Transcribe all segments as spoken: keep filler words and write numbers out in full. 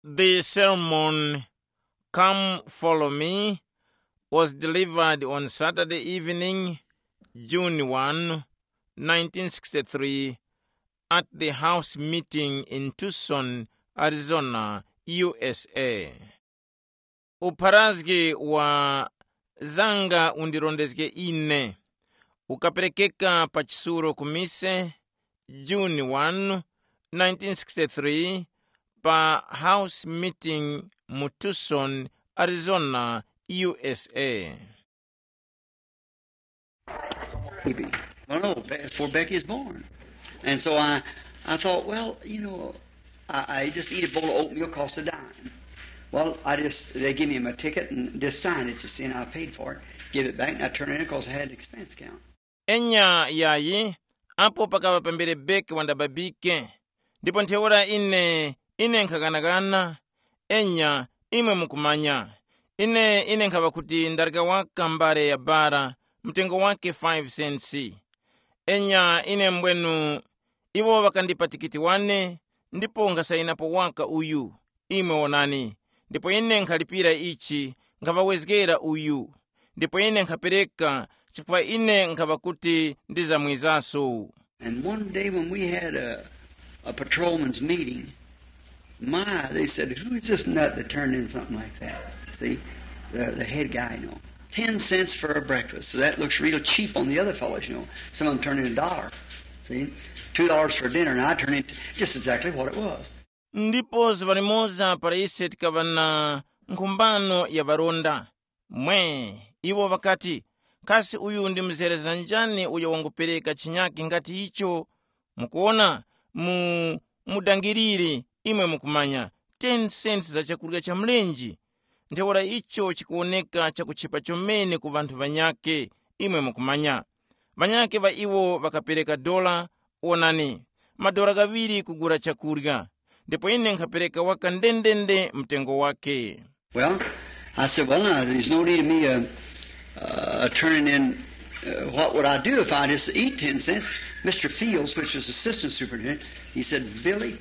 The sermon, Come Follow Me, was delivered on Saturday evening, June one, nineteen sixty-three, at the house meeting in Tucson, Arizona, U S A. Upharazgi wa Zanga Undirondezge Ine ukaperekeka pa chisulo ku mise, June one, nineteen sixty-three, pa house meeting mu Tucson, Arizona, U S A. Baby. Well, no, Be- before Becky is born. And so I, I thought, well, you know, I, I just eat a bowl of oatmeal, cost a dime. Well, I just, they give me my ticket and just sign it, you see, and I paid for it, give it back, and I turn it in because I had an expense account. Enya yayi, apo pakava pambere Beki wandababike, ndipo ntheura ine, ine nkhaghanaghana. Enya, imwe mukumanya, ine, ine nkhaŵa kuti ndareka waka mbale ya bara, mtengo wake five cents. Enya, ine mbwenu, iwo ŵakandipa tikiti wane, ndipo nkhasainapo waka uyu, imwe wonani, ndipo ine nkhalipira ichi, nkhaŵawezgera uyu, ndipo ine nkhapereka, chifukwa ine nkhaŵa kuti ndizamwizaso. And one day when we had a, a patrolmen's meeting, my, they said, who is this nut that turned in something like that? See, the, the head guy, you know. Ten cents for a breakfast. So that looks real cheap on the other fellows, you know. Some of them turn in a dollar. See, two dollars for dinner, and I turn in just exactly what it was. Ndipo zuŵa limoza para ise tikaŵa na nkhumbano ya ŵaronda, mwe, iwo ŵakati, kasi uyu ndi mzereza njani uyo wangupereka chinyake ngati icho? Mukuona, mu mudangiriri, imwe mukumanya, ten cents za chakurya cha mlenji. Ntheura icho chikuwoneka chakuchepa chomene ku ŵanthu ŵanyakhe, imwe mukumanya. Ŵanyakhe ŵa iwo ŵakapereka dola, wonani, madora ghaŵiri kugula chakurya, ndipo ine nkhapereka waka ndendende mtengo wake. Well, I said, well, now, there's no need of me uh, uh, turning in. Uh, what would I do if I just eat ten cents? Mister Fields, which was assistant superintendent, he said, Billy,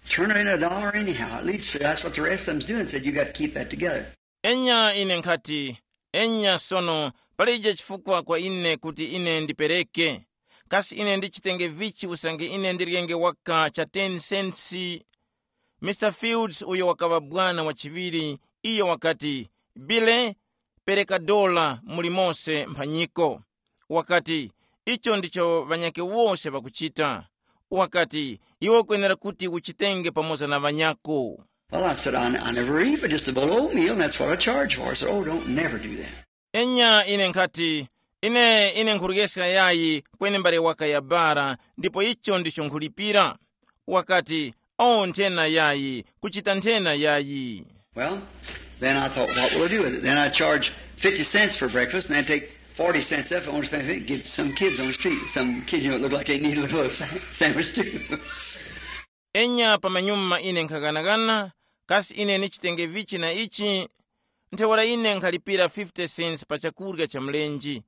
turn in a dollar anyhow. At least that's what the rest of them's doing. Said, you got to keep that together. Enya ine nkhati, enya sono, palije chifukwa kwa ine kuti ine ndipereke. Kasi ine ndichitenge vichi usange ine ndiryenge waka cha ten cents? Mister Fields, uyo wakaŵa bwana wachiŵiri, iyo wakati, Bile, pereka dola muli mose mphanyiko. Wakati, icho ndicho ŵanyakhe wose ŵakuchita. Wakati, iwe ukwenera kuti uchitenge pamoza na ŵanyako. Well, I said, I, I never eat but just a bowl of oatmeal, and that's what I charge for. I said, oh, don't never do that. Enya ine nkhati, ine ine nkhuryeska yayi, kweni mbale waka ya bara, ndipo icho ndicho nkhulipira. Wakati, o nthena yayi, kuchita nthena yayi. Well, then I thought, what will I do with it? Then I charge fifty cents for breakfast, and then take forty cents off. I want to spend fifty, get some kids on the street. Some kids, you know, look like they need a little sa- sandwich too. Enya pamanyuma ine nkhaghanaghana, kasi ine nichitenge vichi na ichi? Ntheura ine nkhalipira fifty cents pa chakurya cha mlenji.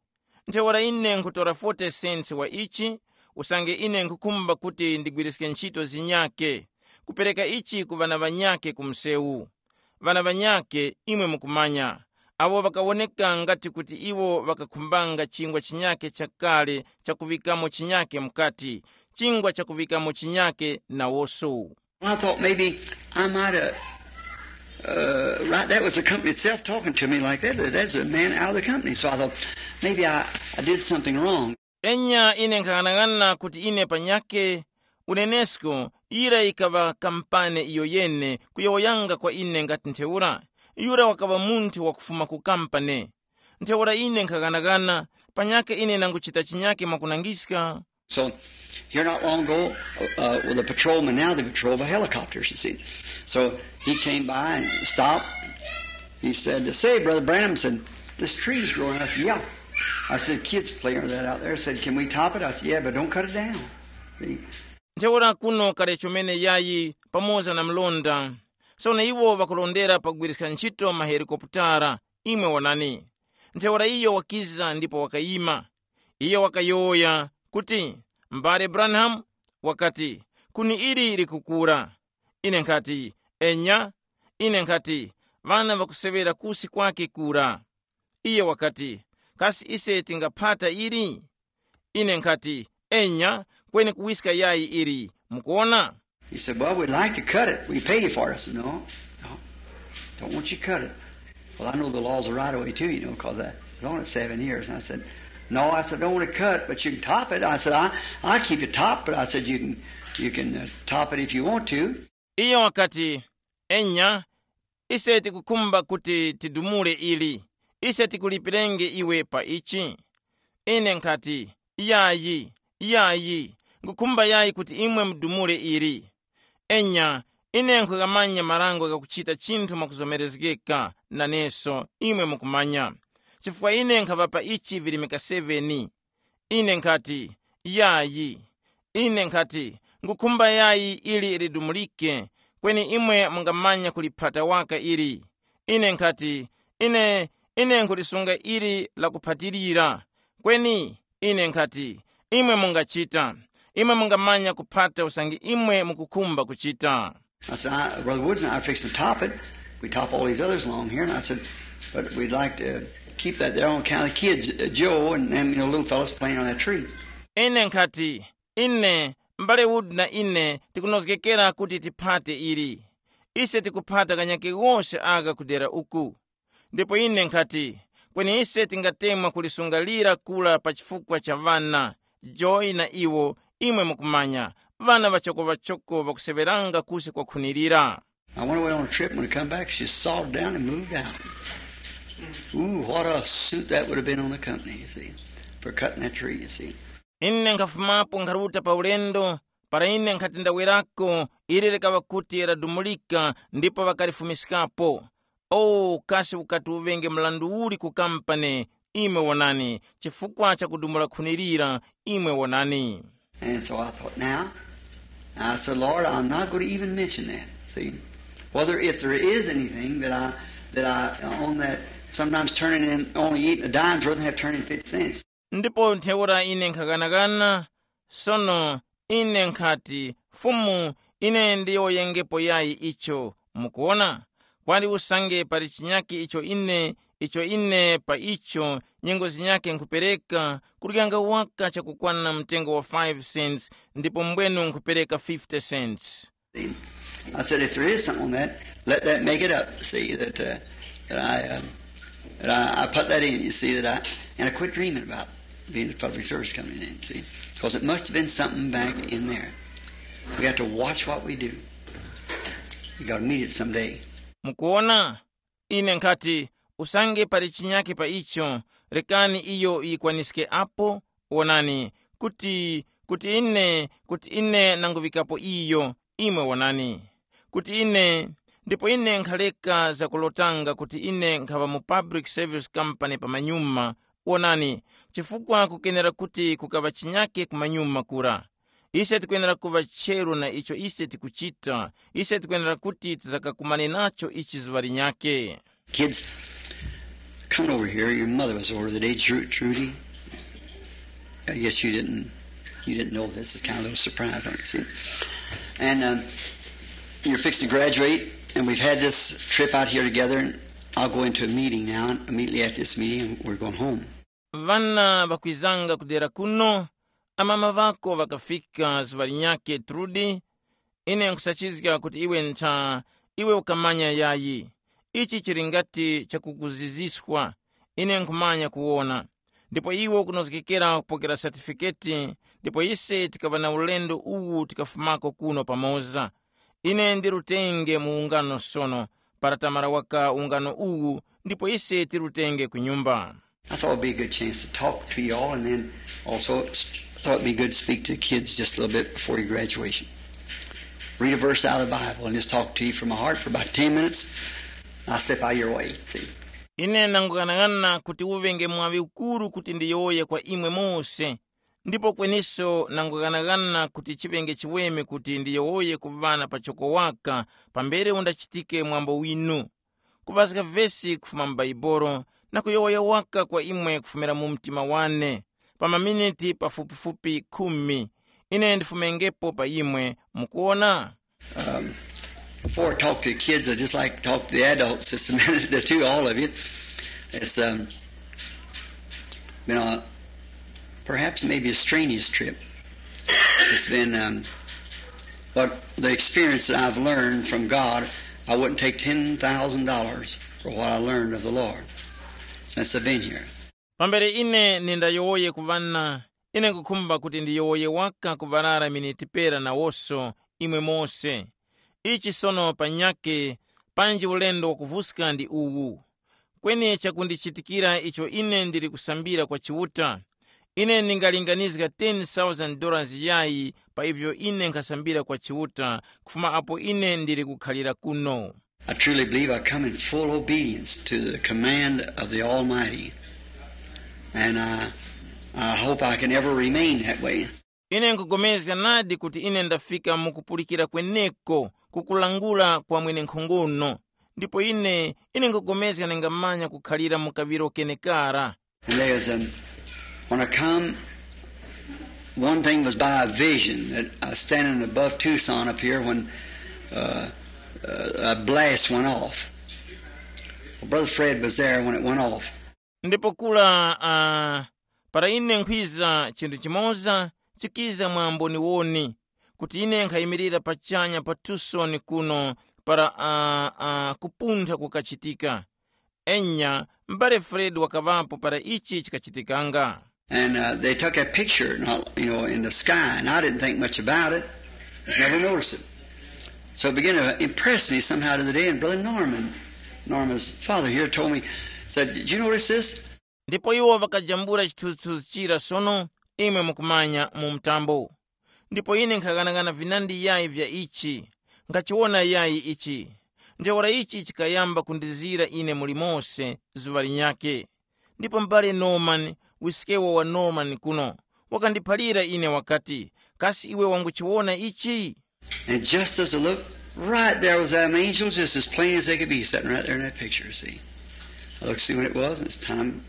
Ntheura ine nkhutora forty cents wa ichi, usange ine nkhukhumba kuti ndigwiriske ntchito zinyake, kupereka ichi ku ŵana ŵanyake ku msewu. Ŵana ŵanyake, imwe mukumanya, awo ŵakawoneka ngati kuti iwo ŵakakhumbanga chingwa chinyake chakale chakuŵikamo chinyake mukati, chingwa chakuŵikamo chinyake nawoso. I thought maybe I might have. Uh, right, that was the company itself talking to me like that. That's a man out of the company. So I thought maybe I, I did something wrong. Enya ine nkhaghanaghana kuti ine panyakhe, unenesko, yira yikaŵa kampane iyo yene kuyowoyanga kwa ine ngati ntheura, yura wakaŵa munthu wakufuma ku kampane. Ntheura ine nkhaghanaghana, panyakhe ine nanguchita chinyake mwakunangiska. So here not long ago, uh, uh, well, the patrolman, now they patrol by helicopters, you see. So he came by and stopped. He said, say, Brother Branham, said, this tree's growing. I said, yeah. I said, kids play under that out there. Said, can we top it? I said, yeah, but don't cut it down. See? Ntheura kuno kale chomene yayi pamoza na mlonda. Sono iwo ŵakulondera pagwiriska ntchito mahelikoputara, imwe wonani. Ntheura iyo wakiza ndipo wakayima. Iyo wakayowoya kuti, mbale Branham, wakati, kuni ili likukura. Ine nkhati, enya, Ine nkhati, ŵana ŵakuseŵera kusi kwake kura. Iye wakati, kasi ise tingaphata ili? Ine nkhati, enya, kweni kuwiska yayi ili, mukuwona? He said, well, we'd like to cut it. We pay you for it. I said, no, no, don't want you to cut it. Well, I know the laws of right away too, you know, because I was on it seven years. And I said, no, I said, don't want to cut, but you can top it. I said, I, I keep it top, but I said, you can, you can uh, top it if you want to. Iyo wakati, enya, ise tikukhumba kuti tidumule ili, ise tikulipirenge iwe pa ichi. Ine nkhati, yayi, yayi, nkhukhumba yayi kuti imwe mudumule ili. Enya, ine nkhughamanya marango ghakuchita chinthu mwakuzomerezgeka naneso, imwe mukumanya, chifukwa ine nkhapa pa ichi virimika seveni. Ine nkhati, yayi. Ine nkhati, nkhukhumba yayi ili lidumulike, kweni imwe mungamanya kuliphata waka ili. Ine nkhati, ine, ine nkhulisunga ili lakuphatilira. Kweni ine nkhati, imwe mungachita. Imwe mungamanya kuphata usange imwe mukukhumba kuchita. I said, I, Brother Woods and I are fixing to top it. We top all these others along here. And I said, but we'd like to keep that there on account of the kids, uh, Joe and them, you know, little fellas playing on that tree. Ine nkhati, ine, m'bale Wood na ine tikunozgekera kuti tiphate ili. Ise tikuphata kanyake wose aka kudera uku. Ndipo ine nkhati, kweni ise tingatemwa kulisunga lira kula pa chifukwa cha ŵana, Joy na iwo, imwe mukumanya, ŵana ŵachokoŵachoko ŵakuseŵeranga kusi kwakhunirira. I went away on a trip. When I come back, she sawed down and moved out. Ooh, what a suit that would have been on the company, you see, for cutting that tree, you see. Ine nkhafumapo nkharuta pa ulendo, para ine nkhati ndawerako, ili likaŵa kuti ladumulika ndipo ŵakalifumiskapo. O, kasi ukati uvenge mrandu uli ku kampani, imwe wonani, chifukwa cha kudumula khuni lira, imwe wonani. And so I thought, now, I said, Lord, I'm not going to even mention that. See, whether if there is anything that I, that I, uh, on that, sometimes turning in only eight a dime's rather than have turned in fifty cents. Ndipo ntheura ine nkhaghanaghana, sono ine nkhati, Fumu, ine ndiyowoyengepo yayi icho, mukuwona? Kwali usange pali chinyakhe icho ine, icho ine pa icho nyengo zinyakhe nkhupereka, kuryanga waka chakukwana mtengo wa five cents, ndipo mbwenu nkhupereka fifty cents. See, I said, if there is something on that, let that make it up. See, that, uh, that I, uh, that I, I put that in, you see, that I, and I quit dreaming about being a public service coming in, see, because it must have been something back in there. We have to watch what we do. We got to meet it someday. Mukuona, ine nkhati, usange pali chinyakhe pa icho, rekani iyo yikwaniske apo. Wonani, kuti, kuti ine, kuti ine nanguŵikapo iyo, imwe wonani, kuti ine, ndipo ine nkhaleka zakulotanga kuti ine nkhaŵa mu public service company pamanyuma. Wonani, chifukwa kukenera kuti kukaŵa chinyakhe kumanyuma kura. Ise tikwenera kuŵa cheru na icho ise tikuchita. Ise tikwenera kuti tizakakumane nacho ichi zuŵa linyakhe. Kids, come over here. Your mother was over the day, Tru- Trudy. I guess you didn't you didn't know this. It's kind of a little surprise, I see. And um, you're fixing to graduate, and we've had this trip out here together. And I'll go into a meeting now. And immediately after this meeting, we're going home. Vana vakwizanga kudera kuno, amama vako vakafika zuŵa linyakhe, Trudi. Ine nkhusachizga kuti iwe ntha, iwe ukamanya yayi. Ichi chili ngati chakukuziziswa. Ine nkhumanya kuwona. Ndipo iwe ukunozgekera kupokera satifiketi. Ndipo ise tikaŵa na ulendo uwu tikafumako kuno pamoza. Ine ndirutenge mu ungano sono, para tamara waka ungano uwu, ndipo ise tirutenge ku nyumba. I thought it'd be a good chance to talk to you all, and then also s- thought it'd be good to speak to the kids just a little bit before your graduation. Read a verse out of the Bible and just talk to you from my heart for about ten minutes. I'll step out of your way. See? Ine nangughanagana kuti uŵenge mwaŵi ukuru kuti ndiyowoye kwa imwe mose. Ndipo kweniso nangughanagana kuti chiŵenge chiweme kuti ndiyowoye ku ŵana pachoko waka pambere undachitike mwambo winu. Kuŵazga vesi kufuma mu Baibolo na kuyowoya waka kwa imwe kufumira mu mtima wane, pa maminiti pafupifupi khumi. Ine ndifumengepo pa imwe, mukuwona? Um, Before I talk to the kids, I just like to talk to the adults just a minute or two, all of you. It's um, been a perhaps maybe a strenuous trip. It's been um, but the experience that I've learned from God, I wouldn't take ten thousand dollars for what I learned of the Lord since I've been here. Pambere ine nindayowoye ku ŵana, ine nkukhumba kuti ndiyowoye waka ku ŵarara miniti pera nawonso, imwe mose. Ichi sono panyakhe, panji ulendo wakuvuska ndi uwu. Kweni chakundichitikira icho ine ndili kusambira kwa Chiuta, ine ndingalinganizga ten thousand dollars yayi pa ivyo ine nkhasambira kwa Chiuta kufuma apo ine ndili kukhalira kuno. I truly believe I come in full obedience to the command of the Almighty. And I, I hope I can ever remain that way. Ine nkupulikana nadi kuti ine ndafika mu kupulikira kweneko kukulangula kwa mwenenkhongono. Ndipo ine ine nkupulikana ningamanya kukhalira mu kaŵiro kenekara. And there's um, when I come, one thing was by a vision that I was standing above Tucson up here when uh, uh, a blast went off. Well, Brother Fred was there when it went off. Ndipo kula uh, para ine nkhwiza chinthu chimoza chikiza mwa mboniwoni kuti ine nkhayimirira pachanya pa Tucson kuno para uh, uh, kupuntha kukachitika. Enya, m'bale Fred wakaŵapo para ichi chikachitikanga. And uh, they took a picture, not, you know, in the sky, and I didn't think much about it. Just never noticed it. So it began to impress me somehow to the day. And Brother Norman, Norman's father here, told me, said, "Did you notice this?" Ndipo iwo ŵakajambula chithunzithunzi chira sono, imwe mukumanya, mu mtambo. Ndipo ine nkhaghanagana vinandi yayi vya ichi, nkhachiwona yayi ichi. Ntheura ichi chikayamba kundizira ine muli mose zuŵa linyakhe. Ndipo m'bale Norman, wiskewo wa Norman kuno, wakandiphalira ine wakati, "Kasi iwe wanguchiwona ichi?" And just as I looked, right there was them angels, just as plain as they could be, sitting right there in that picture, see. I looked to see when it was, and it's time,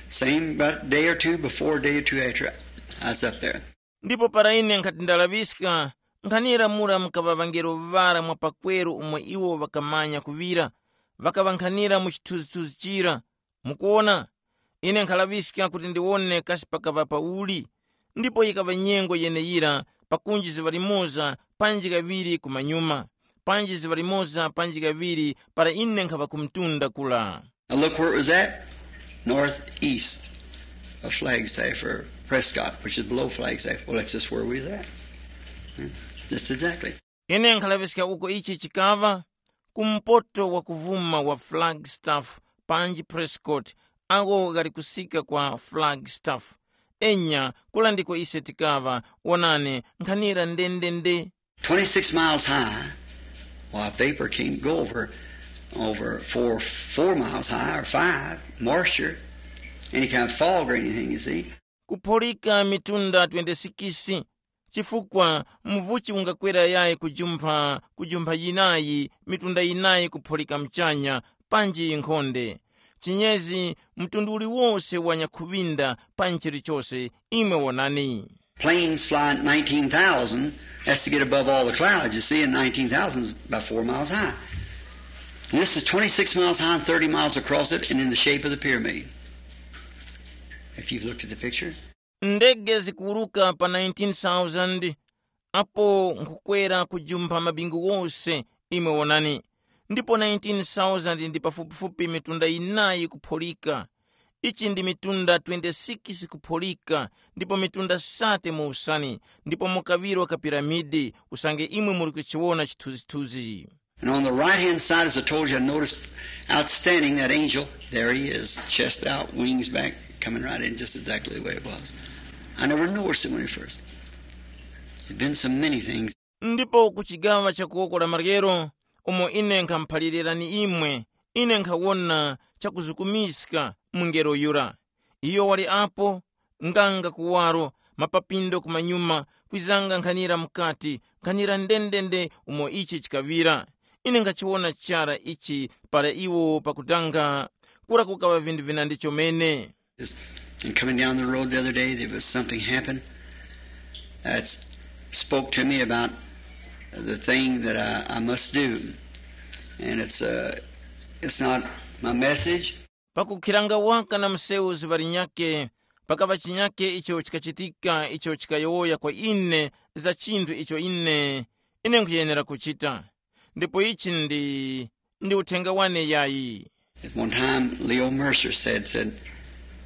same about a day or two before, a day or two after, I was up there. Ndipo para ine nkhati ndalaŵiska, nkhanira mura mukaŵa ŵangelo ŵara mwa pakweru umo iwo ŵakamanya kuŵira, ŵakaŵa nkhanira mu chithunzithunzi chira. Mukuwona? Ine nkhalaŵiska kuti ndiwone kasi pakaŵa pauli. Ndipo yikaŵa nyengo yeneyira pakunji zuŵa limoza panji kaŵiri kumanyuma, panji zuŵa limoza panji kaŵiri para ine nkhaŵa ku mtunda kula. Now look where it was at. Northeast of Flagstaff or Prescott, which is below Flagstaff. Well, that's just where we was at. Yeah, just exactly. Ine nkhalaŵiska uko ichi chikaŵa, kumpoto wa kuvuma wa Flagstaff panji Prescott, ako ghali kusika kwa Flagstaff. Enya, kula ndiko ise tikaŵa, wonani, nkhanira ndendende. Twenty-six miles high. Why, vapor can't go over over four four miles high or five, moisture, any kind of fog or anything, you see. Kupholika mitunda twenty-six, chifukwa mvuchi ungakwera yayi kujumpha kujumpha yinayi, mitunda yinayi kupholika mchanya, panji nkhonde. Chinyezi, mtundu uliwose wa nyakhuŵinda pa nchilichose, imwe wonani. Planes fly nineteen thousand, that's to get above all the clouds, you see, and nineteen thousand is about four miles high. And this is twenty-six miles high and thirty miles across it and in the shape of the pyramid. If you've looked at the picture. Ndege zikuwuruka pa nineteen thousand, apo nkhukwera kujumpha mabingu wose, imwe wonani. Ndipo nineteen thousand ndi pafupifupi mitunda yinayi kupholika. Ichi ndi mitunda twenty-six kupholika, ndipo mitunda sate mu usani, ndipo mu kaŵiro ka piramidi, usange imwe muli kuchiwona chithunzithunzi. And on the right hand side, as I told you, I noticed outstanding that angel. There he is, chest out, wings back, coming right in just exactly the way it was. I never noticed it when it first. There'd been so many things. Ndipo ku chigawa cha kuwoko la maryero, umo ine nkhamuphalirani imwe, ine nkhawona chakuzukumiska mungelo yura. Iyo wali apo, nganga kuwaro, mapapindo kumanyuma, kwizanga nkhanira mukati, nkhanira ndendende umo ichi chikaŵira. Ine nkhachiwona chara ichi para iwo pakutanga, kura kukaŵa vinthu vinandi chomene. And coming down the road the other day, there was something happened that spoke to me about the thing that I, I must do. And it's, uh, it's not my message. Pakukhiranga waka na msewu zuŵa linyakhe, pakaŵa chinyakhe icho chikachitika icho chikayowoya kwa ine za chinthu icho ine, ine nkhuyenera kuchita. Ndipo ichi ndi, ndi uthenga wane yayi. At one time, Leo Mercer said, said,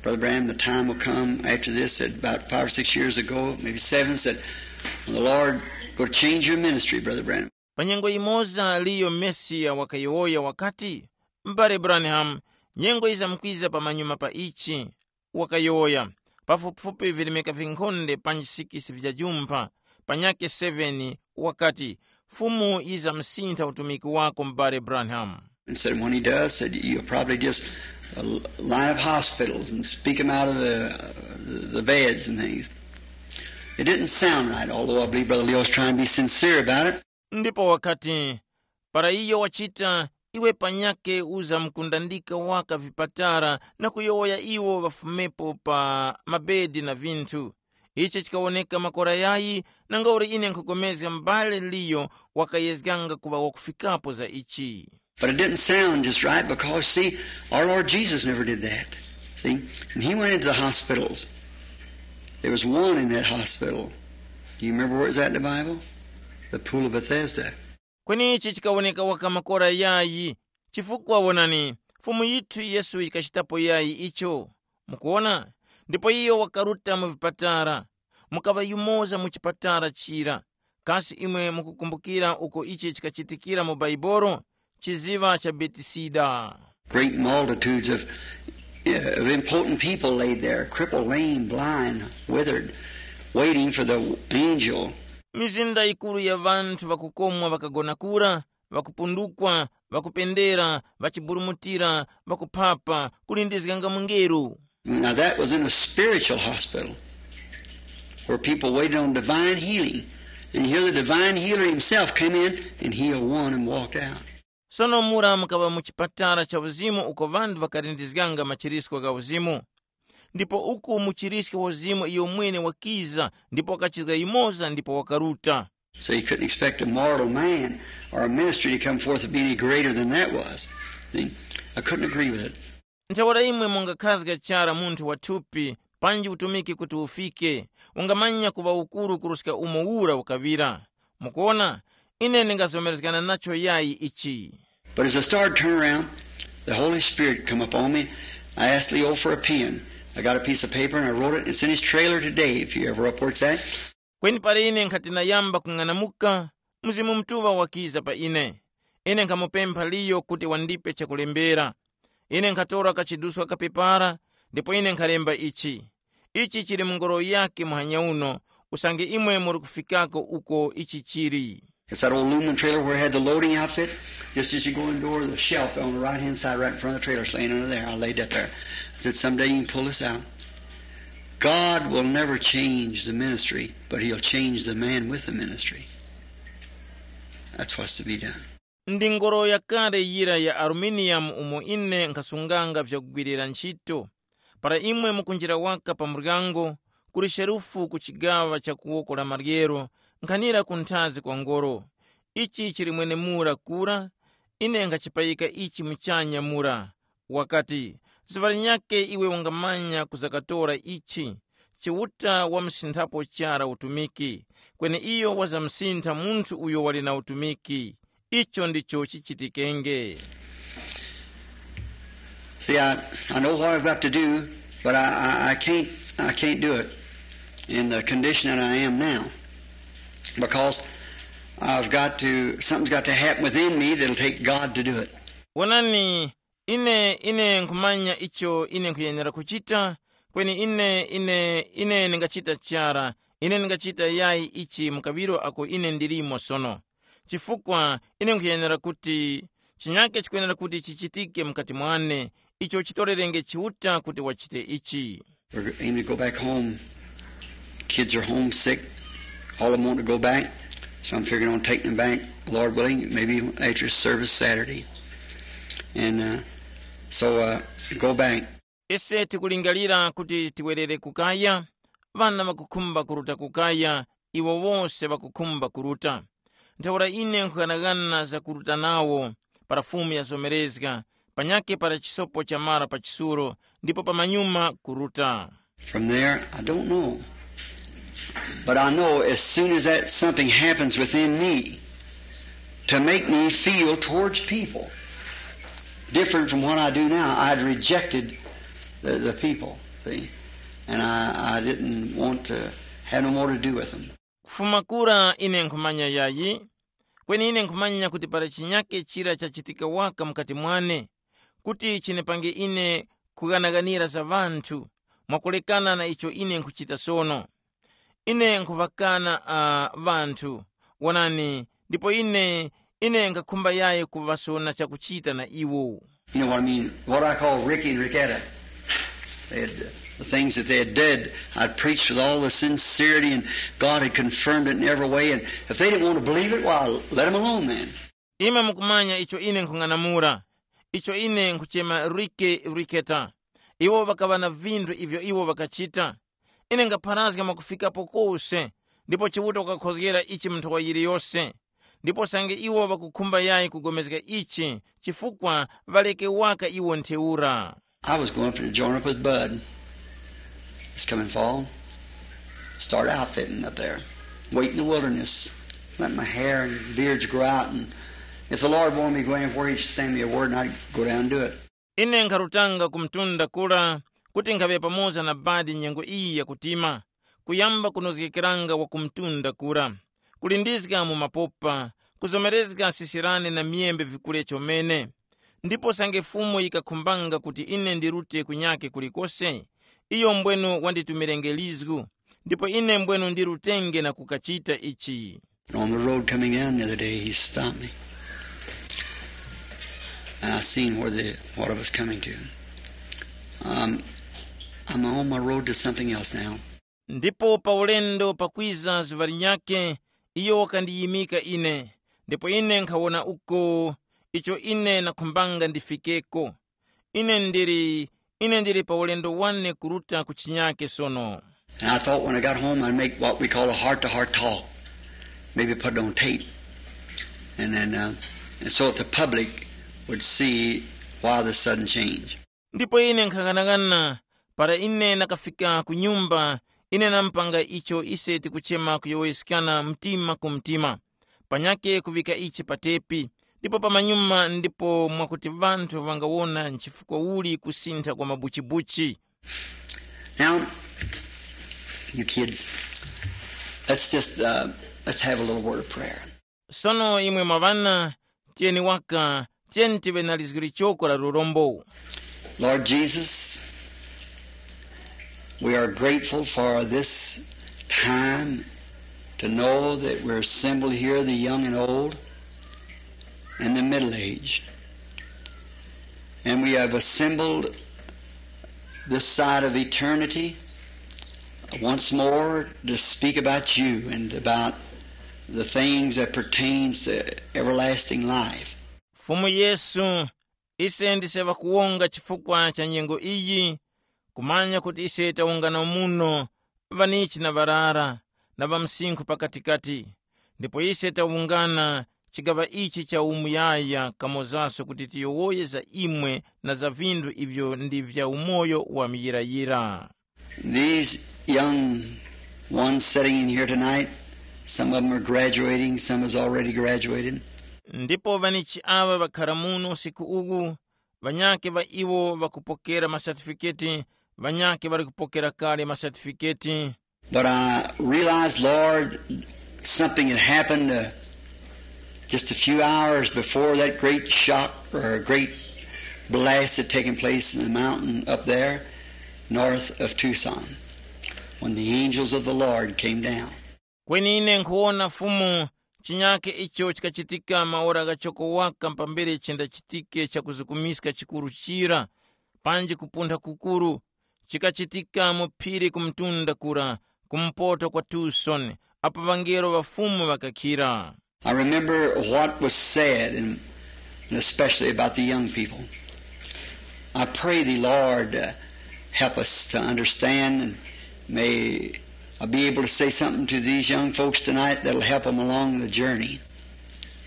"Brother Branham, the time will come after this," said about five or six years ago, maybe seven, said, "When the Lord will change your ministry, Brother Branham." Pa nyengo imoza Leo Mercer wakayowoya wakati, "M'bale Branham, nyengo yizamkwiza pamanyuma pa ichi," wakayowoya, pafupifupi virimika vinkhonde panji sikisi vya jumpha, panyakhe seveni, wakati, "Fumu yizamsintha utumiki wako, m'bale Branham." And said, "When he does," said, "you'll probably just, uh, line up hospitals and speak 'em out of the, uh, the beds and things." It didn't sound right, although I believe Brother Leo's trying to be sincere about it. Ndipo wakati, "Para iyo wachita, iwe panyakhe uzamkundandika waka vipatara na kuyowoya iwo ŵafumepo pa mabedi na vinthu." Ichi chikawoneka makora yayi, nangauli ine nkhupulikana m'bale Leo wakayezganga kuŵa wakufikapo za ichi. But it didn't sound just right because, see, our Lord Jesus never did that. See, and he went into the hospitals. There was one in that hospital. Do you remember where it was at in the Bible? The Pool of Bethesda. Kweni ichi chikawoneka waka makora yayi, chifukwa wonani, Fumu yithu Yesu yikachitapo yayi icho. Mukuwona? Ndipo iyo wakaruta mu vipatara. Mukaŵa yumoza mu chipatara chira. Kasi imwe mukukumbukira uko ichi chikachitikira mu Baibolo? Chiziŵa cha Betisida. Great multitudes of, uh, of important people laid there, crippled, lame, blind, withered, waiting for the angel. Mizinda yikuru ya ŵanthu ŵakukomwa ŵakagona kura, ŵakupundukwa, ŵakupendera, ŵachiburumutira, ŵakuphapa, kulindizganga mungelo. Now that was in a spiritual hospital where people waited on divine healing. And here the divine healer himself came in and healed one and walked out. Sono mura mukaŵa mu chipatala cha uzimu uko ŵanthu ŵakalindizganga machirisko gha uzimu. Ndipo uku muchirisko wa uzimu iyo mwene wakiza ndipo wakachizga yumoza ndipo wakaruta. So you couldn't expect a mortal man or a ministry to come forth to be any greater than that was. See? I couldn't agree with it. Ntheura imwe mungakhazga chara munthu wa thupi panji utumiki kuti ufike, ungamanya kuŵa ukuru kuruska umo ura ukaŵira. Mukuona, ine ndingazomerezgana nacho yayi ichi. But as I started to turn around, the Holy Spirit come up on me. I asked Leo for a pen. I got a piece of paper and I wrote it. It's in his trailer today, if you ever reports that. Kweni para ine nkhati nayamba kung'anamuka, Mzimu Mutuŵa wakiza pa ine. Ine nkhamupempha Liyo kuti wandipe chakulembera. Ine nkhatora kachiduswa kapepara, ndipo ine nkhalemba ichi. Ichi chili mu ngoro yakhe muhanya uno, usange imwe muri kufikako uko ichi chili. It's that old aluminum trailer where it had the loading outfit. Just as you go in the door, the shelf on the right hand side, right in front of the trailer, is laying under there. I laid that there. I said, "Someday you can pull this out." God will never change the ministry, but he'll change the man with the ministry. That's what's to be done. Ndi ngoro yakale yira ya aluminium umo ine nkhasunganga vyakugwirira ntchito. Para imwe mukunjira waka pa muryango, kuli sherufu ku chigaŵa cha kuwoko la maryero, nkhanira ku nthazi kwa ngoro. Ichi chili mwenemura kura, ine nkhachipayika ichi muchanya mura. Wakati, zuŵa linyakhe iwe wangamanya kuzakatora ichi. Chiuta wamusinthapo chara utumiki, kweni iyo wazamsintha munthu uyo wali na utumiki. Icho ndicho chichitikenge. See, I, I know what I've got to do, but I, I, I can't, I can't do it in the condition that I am now, because I've got to, something's got to happen within me that'll take God to do it. Wonani, ine ine nkhumanya icho ine nkhuyenera kuchita, kweni ine ine ine ndingachita chara. Ine ndingachita yayi ichi mu kaŵiro ako ine ndilimo sono, chifukwa ine nkhuyenera kuti chinyake chikwenera kuti chichitike mukati mwane, icho chitorerenge Chiuta kuti wachite ichi. We're aiming to go back home. Kids are homesick. All of them want to go back. So I'm figuring on taking them back, Lord willing, maybe after service Saturday. And, uh, so, uh, go back. Ise tikulingalira kuti tiwerere kukaya. Ŵana ŵakukhumba kuruta kukaya, iwo wose ŵakukhumba kuruta. Ntheura ine nkhughanaghana za kuruta nawo, para Fumu yazomerezga, panyakhe para chisopo chamara pa chisulo, ndipo pamanyuma kuruta. From there, I don't know. But I know as soon as that something happens within me to make me feel towards people different from what I do now, I'd rejected the, the people, see? And I, I didn't want to have no more to do with them. Kufuma kura ine nkhumanya yayi, kweni ine nkhumanya kuti para chinyake chira chachitika waka mukati mwane, kuti chinipange ine kughanaghanira za ŵanthu, mwakulekana na icho ine nkhuchita sono. Ine nkhuŵakana uh, ŵanthu, wonani, ndipo ine ine nkhakhumba yayi kuŵasona chakuchita na iwo. You know what I mean? What I call Ricky and Ricketta. They had, the things that they had did, I preached with all the sincerity, and God had confirmed it in every way. And if they didn't want to believe it, why, let them alone then. Imwe mukumanya icho ine nkhung'anamula, icho ine nkhuchema Rike Riketa. Iwo ŵakaŵa na vinthu ivyo iwo ŵakachita. Ine ngapharazga mwakufikapo kose, ndipo Chiuta wakakhozgera ichi mu nthowa yiliyose. Ndipo sange iwo ŵakukhumba yayi kugomezga ichi, chifukwa ŵaleke waka iwo ntheura. I was going up to join up with Bud. It's coming fall. Start outfitting up there. Wait in the wilderness. Let my hair and beards grow out, and if the Lord wanted me to go anywhere, he'd send me a word, and I'd go down and do it. Ine nkharutanga ku mtunda kura, kuti nkhaŵe pamoza na Badi nyengo iyi yakutima, kuyamba kunozgekeranga wa ku mtunda kura, kulindizga mu mapopa, kuzomerezga sisirani na myembe vikule chomene. Ndipo sange Fumu yikakhumbanga kuti ine ndirute kunyake kulikose, iyo mbwenu wanditumirenge lizgu, ndipo ine mbwenu ndirutenge na kukachita ichi. On the road coming down the other day, he stopped me. And I seen where the, what I was coming to. Um, I'm on my road to something else now. Ndipo pa ulendo pakwiza zuŵa linyakhe, iyo wakandiyimika ine, ndipo ine nkhawona uko icho ine nakhumbanga ndifikeko. Ine ndili, ine ndili pa ulendo wane kuruta ku chinyake sono. And I thought when I got home, I'd make what we call a heart to heart talk. Maybe put it on tape. And then, uh, and so that the public would see why the sudden change. Ndipo ine nkhanganangana, para ine nakafika ku nyumba, ine nampanga icho ise tikuchema kuyowoyeskana mtima ku mtima, panyake kuŵika ichi pa tepi, ndipo pamanyuma ndipo mwakuti ŵanthu ŵangawona nchifukwa uli kusintha kwa mabuchibuchi. Now, you kids, let's just uh, let's have a little word of prayer. Sono imwe mwa ŵana, tiyeni waka, tiyeni tiŵe na lizgu lichoko la lurombo. Lord Jesus, we are grateful for this time to know that we're assembled here, the young and old, and the middle aged. And we have assembled this side of eternity once more to speak about you and about the things that pertains to everlasting life. Fumu Yesu, ise ndise ŵakuwonga chifukwa cha nyengo iyi, kumanya kuti ise tawungana muno, ŵanichi na ŵarara, na ŵamsinkhu pakatikati. Ndipo ise tawungana chigaŵa ichi cha umuyaya kamozaso kuti tiyowoye za imwe na za vinthu ivyo ndi vya umoyo wa muyirayira. These young ones sitting in here tonight, some of them are graduating, some has already graduated. Ndipo ŵanichi aŵa ŵakhara muno usiku uwu, ŵanyakhe ŵa iwo ŵakupokera masatifiketi, ŵanyakhe ŵali kupokera kale masatifiketi. But I realized, Lord, something had happened uh, just a few hours before that great shock or a great blast had taken place in the mountain up there north of Tucson when the angels of the Lord came down. Kweni ine nkhuwona Fumu, chinyakhe icho chikachitika maora ghachoko waka pambere chendachitike chakuzukumiska chikuru chira, panji kupuntha kukuru, chikachitika mu phiri ku mtunda kura, kumpoto kwa Tucson, apo ŵangelo ŵa Fumu ŵakakhira. I remember what was said, and, and especially about the young people. I pray thee, Lord, uh, help us to understand, and may I be able to say something to these young folks tonight that'll help them along the journey.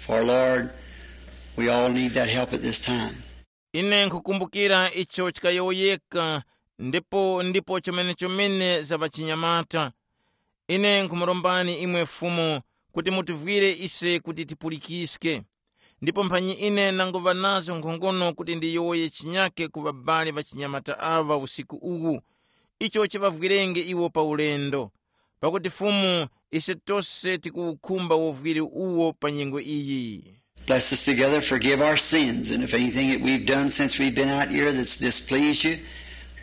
For Lord, we all need that help at this time. Ine nkhukumbukira icho chikayowoyeka, ndipo ndipo chomene-chomene za ŵachinyamata. Ine nkhumurombani imwe Fumu kuti mutivwire ise kuti tipulikiske. Ndipo mphanyi ine nanguŵa nazo nkhongono kuti ndiyowoye chinyake ku ŵabali ŵachinyamata aŵa usiku uwu, icho chiŵavwirenge iwo pa ulendo. Pakuti Fumu, ise tose tikuwukhumba uvwiri uwo pa nyengo iyi. Bless us together, forgive our sins, and if anything that we've done since we've been out here that's displeased you,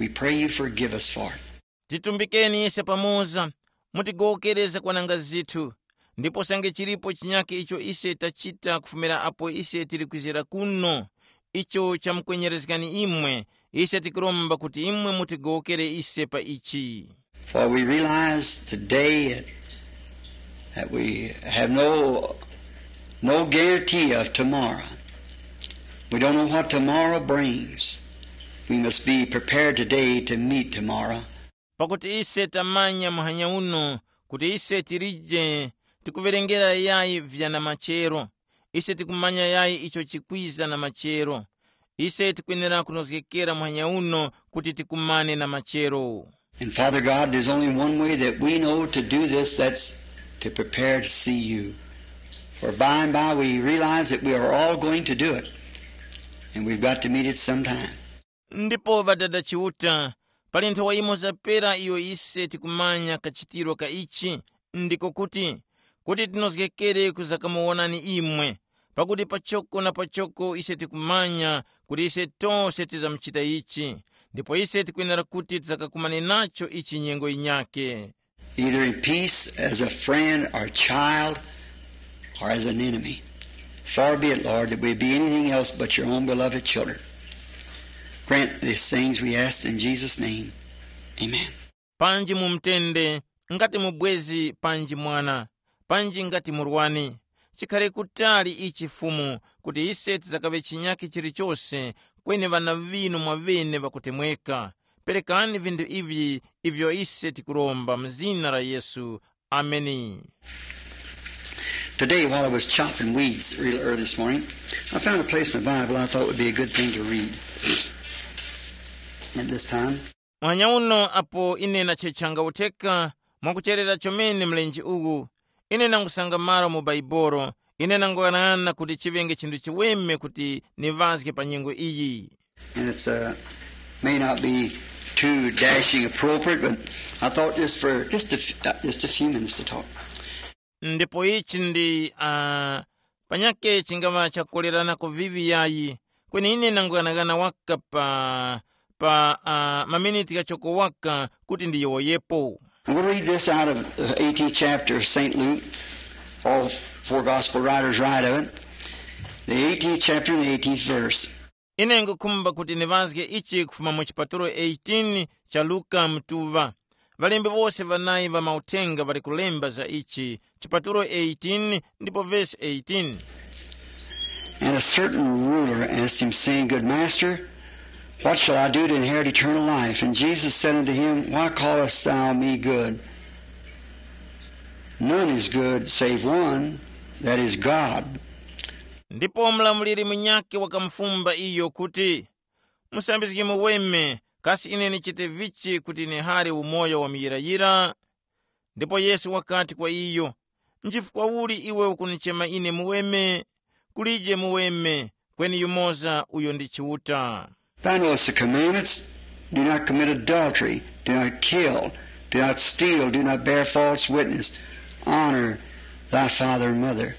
we pray you forgive us for it. Titumbikeni ise pamoza, mutigowokere zakwananga zithu, ndipo sange chilipo chinyake icho ise tachita kufumira apo ise tili kwizira kuno, icho chamukwenyerezgani imwe, ise tikuromba kuti imwe mutigowokere ise pa ichi. For we realize today that we have no, no guarantee of tomorrow. We don't know what tomorrow brings. We must be prepared today to meet tomorrow. Pakuti ise tamanya muhanya uno kuti ise tilije tikuwerengera yayi vya na machero. Ise tikumanya yayi icho chikwiza na machero. Ise tikwenera kunozgekera muhanya uno kuti tikumane na machero. And Father God, there's only one way that we know to do this, that's to prepare to see you. For by and by we realize that we are all going to do it, and we've got to meet it sometime. Ndipo Ŵadada Chiuta, pali nthowa imo zapera iyo ise tikumanya kachitiro ka ichi, ndiko kuti, kuti tinozgekere kuzakamuwonani imwe, pakuti pachoko na pachoko ise tikumanya kuti ise tose tizamuchita ichi, ndipo ise tikwenera kuti tizakakumane nacho ichi nyengo yinyake. Either in peace as a friend or child, or as an enemy. Far be it, Lord, that we be anything else but your own beloved children. Grant these things we ask in Jesus' name. Amen. Panji mu mtende, ngati mubwezi panji mwana, panji ngati murwani. Chikhale kutali ichi Fumu, kuti ise tizakaŵe chinyakhe chilichose, kweni ŵana ŵinu mwaŵene ŵakutemweka. Perekani vinthu ivi ivyo ise tikuromba mu zina la Yesu. Ameni. Today, while I was chopping weeds real early this morning, I found a place in the Bible I thought would be a good thing to read at this time. Mwanya uno apo ine nachechanga utheka mwakucherera chomene mlenje uwu, ine nangusanga malo mu Baibolo, ine nanguyang'ana kuti chiŵenge chinthu chiweme kuti niŵazge pa nyengo iyi. And it's uh, may not be too dashing appropriate, but I thought just for just a, f- uh, just a few minutes to talk. Ndipo ichi ndi uh, panyake chingava chakukolerana kuvivi yayi, kweni ine nanguyang'ana waka pa pa uh, maminiti kachoko waka kuti ndiyowoyepo. I'm going to read this out of the eighteenth chapter of Saint Luke. All four gospel writers write of it. The eighteenth chapter and the eighteenth verse. Ine ngukhumba kuti niŵazge ichi kufuma mu chipatulo eighteen cha Luka mtuŵa. Ŵalembi wose ŵanayi ŵa mauthenga ŵali kulemba za ichi, chipatulo eighteen ndipo vesi eighteen. And a certain ruler asked him, saying, "Good master, what shall I do to inherit eternal life?" And Jesus said unto him, "Why callest thou me good? None is good save one, that is God." Ndipo mlamuliri munyakhe wakamufumba iyo kuti, "Musambizgi muweme, kasi ine nichite vichi kuti nihare umoyo wa muyirayira?" Ndipo Yesu wakati kwa iyo, "Nchifukwa uli iwe ukunichema ine muweme? Kulije muweme, kweni yumoza uyo ndi Chiuta." Thou knowest the commandments. Do not commit adultery. Do not kill. Do not steal. Do not bear false witness. Honor thy father and mother.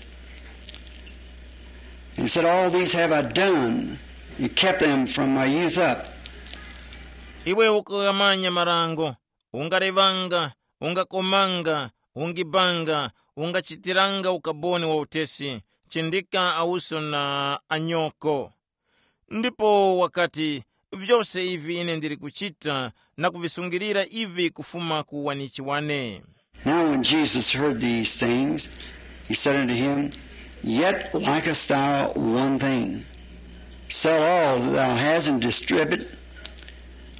And he said, "All these have I done and kept them from my youth up." Iwe ukughamanya marango, ungalevanga, ungakomanga, ungibanga, ungachitiranga ukaboni wa utesi, chindika awuso na anyoko. Ndipo wakati, "Vyose ivi ine ndili kuchita na kuvisungilira ivi kufuma ku wanichi wane." Now when Jesus heard these things, he said unto him, "Yet lackest thou one thing. Sell all that thou hast and distribute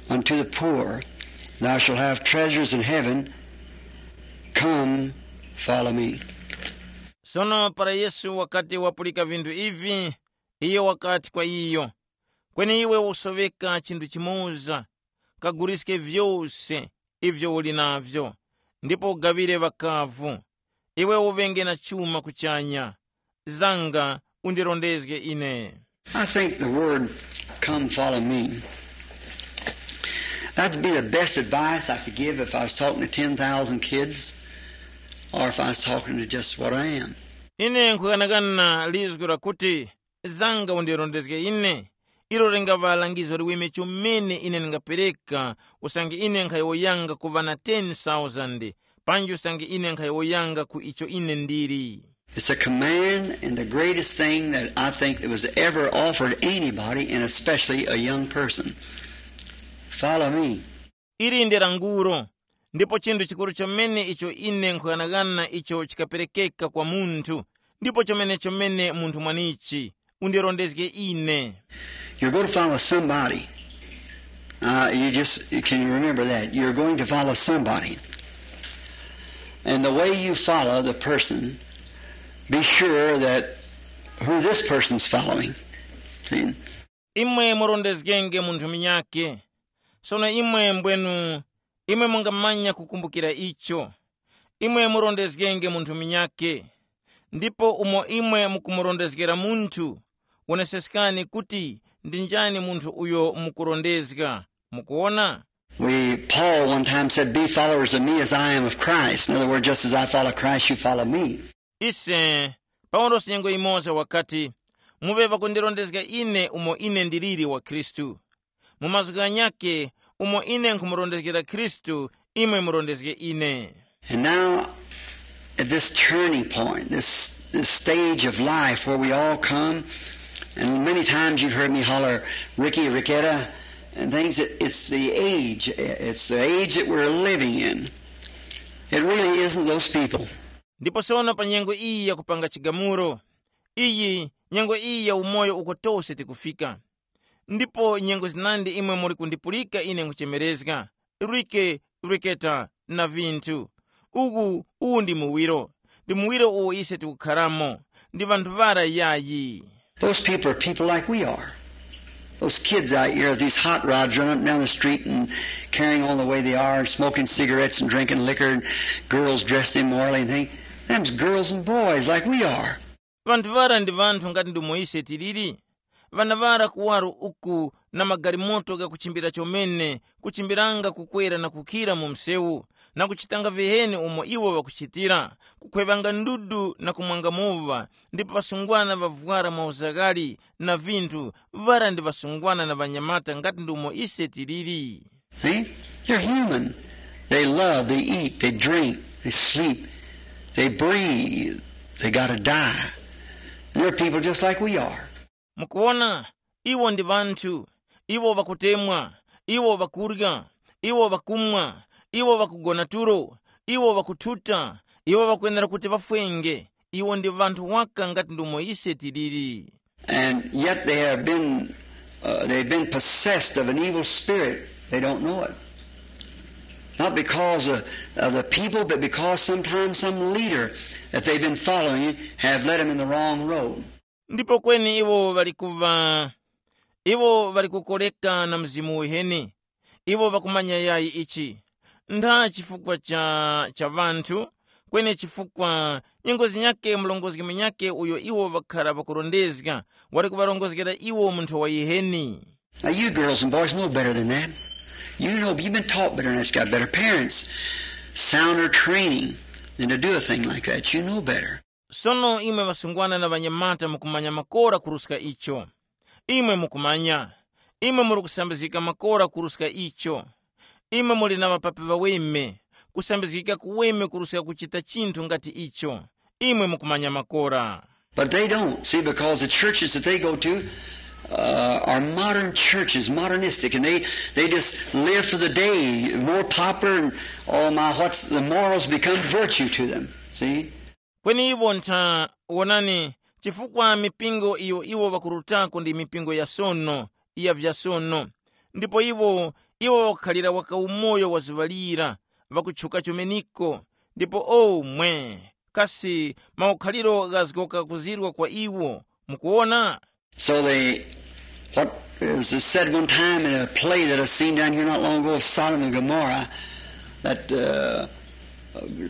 unto the poor, thou shalt have treasures in heaven. Come, follow me." Sono para Yesu wakati wapulika vinthu ivi, iyo wakati kwa iyo, “Kweni iwe usoŵeka chinthu chimoza, kaguliske vyose ivyo uli navyo, ndipo ugaŵire ŵakavu. Iwe uŵenge na chuma kuchanya. Zanga undirondezge ine.” I think the word "come follow me." That'd be the best advice I could give if I was talking to ten thousand kids or if I was talking to just what I am. Ine nkhukanakana lizgu lakuti, “Zanga undirondezge ine.” Ilo lingaŵa langizo liweme chomene ine ndingapereka, usange ine nkhayowoyanga kuŵa na ten thousand, panji usange ine nkhayowoyanga ku icho ine ndili. It's a command and the greatest thing that I think that was ever offered anybody, and especially a young person. Follow me. Ili ndi languro, ndipo chinthu chikuru chomene icho ine nkhughanaghana icho chikaperekeka kwa munthu, ndipo chomene chomene munthu mwanichi, undirondezge ine. You're going to follow somebody. Uh, you just can you remember that you're going to follow somebody, and the way you follow the person, be sure that who this person's following. See? Imwe murondezgenge munthu munyakhe. Sono imwe mbwenu, imwe mungamanya kukumbukira icho. Imwe murondezgenge munthu munyakhe. Ndipo umo imwe mukumurondezgera munthu, woneseskani kuti ndi njani munthu uyo mukurondezga. Mukuona? We, Paul one time said, "Be followers of me as I am of Christ." In other words, just as I follow Christ, you follow me. Ise, Paulosi nyengo imoza wakati, muŵe ŵakundirondezga ine umo ine ndiliri wa Khristu. Mu mazgu ghanyakhe, umo ine nkhumurondezgera Khristu, imwe murondezge ine. And now, at this turning point, this, this stage of life where we all come, and many times you've heard me holler, "Ricky, Ricketta," and things, it, it's the age, it's the age that we're living in. It really isn't those people. Ndipo sono pa nyengo iyi yakupanga chigamulo, iyi nyengo iyi ya umoyo uko tose tikufika. Ndipo nyengo zinandi imwe muli kundipulika ine nkuchemerezga, Rike, Riketa, na vinthu. Uku, uwu ndi muwiro, ndi muwiro uwo ise tikukharamo, ndi ŵanthu ŵara yayi. Those people are people like we are. Those kids out here, these hot rods running up and down the street and carrying on the way they are, and smoking cigarettes and drinking liquor, and girls dressed immorally and things. Them's girls and boys like we are. Ŵanthu ŵara ndi ŵanthu ngati ndomwe ise tiliri. Ŵana ŵara kuwaro uku na magalimoto ghakuchimbira chomene, kuchimbiranga kukwera na kukhira mu msewu, na kuchitanga viheni umo iwo ŵakuchitira, kukhwevanga ndudu na kumwanga muŵa, ndipo ŵasungwana ŵavwara mauzaghali na vinthu, ŵara ndi ŵasungwana na ŵanyamata ngati ndomwe ise tiliri. See? They're human. They love, they eat, they drink, they sleep, they breathe. They gotta die. They're people just like we are. Mukuona, iwo ndi ŵanthu, iwo ŵakutemwa, iwo ŵakurya, iwo ŵakumwa, iwo ŵakugona tulo, iwo ŵakuthuta, iwo ŵakwenera kuti ŵafwenge, iwo ndi ŵanthu waka ngati ndomwe ise tiliri. And yet they have been, uh, they've been possessed of an evil spirit. They don't know it. Not because of, of the people, but because sometimes some leader that they've been following have led them in the wrong road. Ndipo kweni iwo ŵali kuva, iwo ŵali kukoreka na mzimu uheni. Iwo ŵakumanya yayi ichi, ntha chifukwa cha, cha ŵanthu, kweni chifukwa nyengo zinyakhe murongozgi munyakhe uyo iwo ŵakhara ŵakurondezga, wali kuŵarongozgera iwo munthu wa yiheni. Now, you girls and boys know better than that. You know, you've been taught better than that. You've got better parents, sounder training than to do a thing like that. You know better. Sono imwe ŵasungwana na ŵanyamata mukumanya makora kuruska icho. Imwe mukumanya. Imwe muli kusambizgika makora kuruska icho. Imwe muli na ŵapapi ŵaweme, kusambizgika kuweme kuruska kuchita chinthu ngati icho. Imwe mukumanya makora. But they don't, see, because the churches that they go to uh, are modern churches, modernistic, and they, they just live for the day, more popular, and oh my, what's the morals become virtue to them, see? Kweni iwo ntha, wonani, chifukwa mipingo iyo iwo ŵakurutako ndi mipingo ya sono, ya vya sono. Ndipo iwo, iwo ŵakukhalira waka umoyo wa zuŵa lira, ŵakutchuka chomeniko, ndipo omwe, Kasi maukhaliro ghazgoka kuzirwa kwa iwo? Mukuwona? So they, what is said one time in a play that I've seen down here not long ago of Sodom and Gomorrah, that uh,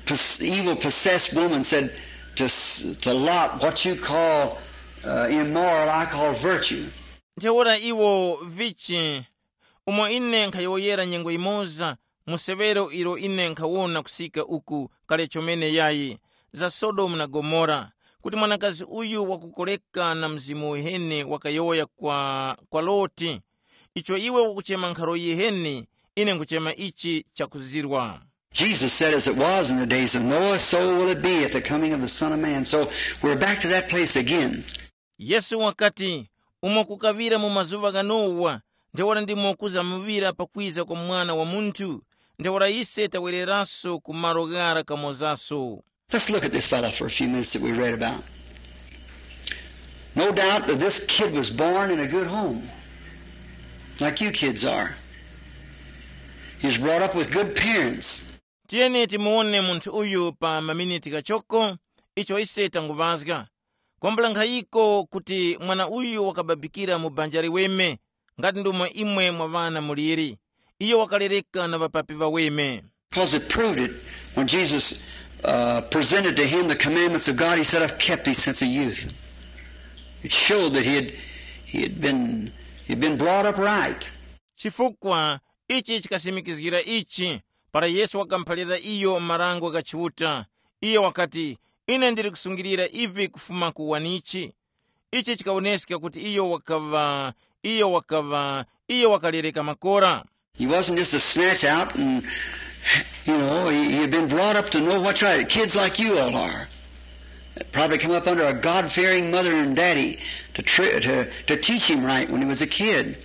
pos- evil possessed woman said to, s- to Lot, "What you call uh, immoral, I call virtue." Ntheura iwo vichi, umo ine nkhayowoyera nyengo yimoza, mu severo ilo ine nkhawona kusika uku kale chomene yayi, za Sodomu na Gomora, kuti mwanakazi uyu wakukoreka na mzimu uheni wakayowoya kwa, kwa Loti, icho iwe ukuchema nkharo yiheni, ine nkuchema ichi chakuzirwa. Jesus said, "As it was in the days of Noah, so will it be at the coming of the Son of Man." So we're back to that place again. Yesu wakati, umo kukaŵira mu mazuŵa gha Nowa, ntheura ndimo kuzamuŵira pakwiza kwa Mwana wa Munthu. Ntheura ise tawereraso ku malo ghara kamozaso. Let's look at this fellow for a few minutes that we read about. No doubt that this kid was born in a good home, like you kids are. He was brought up with good parents. Tiyeni timuwone munthu uyu pa maminiti ghachoko, icho ise tanguŵazga. Kwambula nkhayiko kuti mwana uyu wakababikira mu banja liweme, ngati ndomwe imwe mwa ŵana muliri. Iyo wakalereka na ŵapapi ŵaweme. Because it proved it when Jesus uh, presented to him the commandments of God, he said, "I've kept these since a youth." It showed that he had, he had been, he had been brought up right. Chifukwa ichi chikasimikizgira ichi, para Yesu wakamuphalira iyo marango gha Chiuta, iyo wakati, "Ine ndili kusungilira ivi kufuma ku wanichi." Ichi chikawoneska kuti iyo wakaŵa, iyo wakaŵa, iyo wakalereka makora. He wasn't just a snatch out and, you know, he, he had been brought up to know what's right. Kids like you all are. Probably come up under a God-fearing mother and daddy to, tri- to, to teach him right when he was a kid.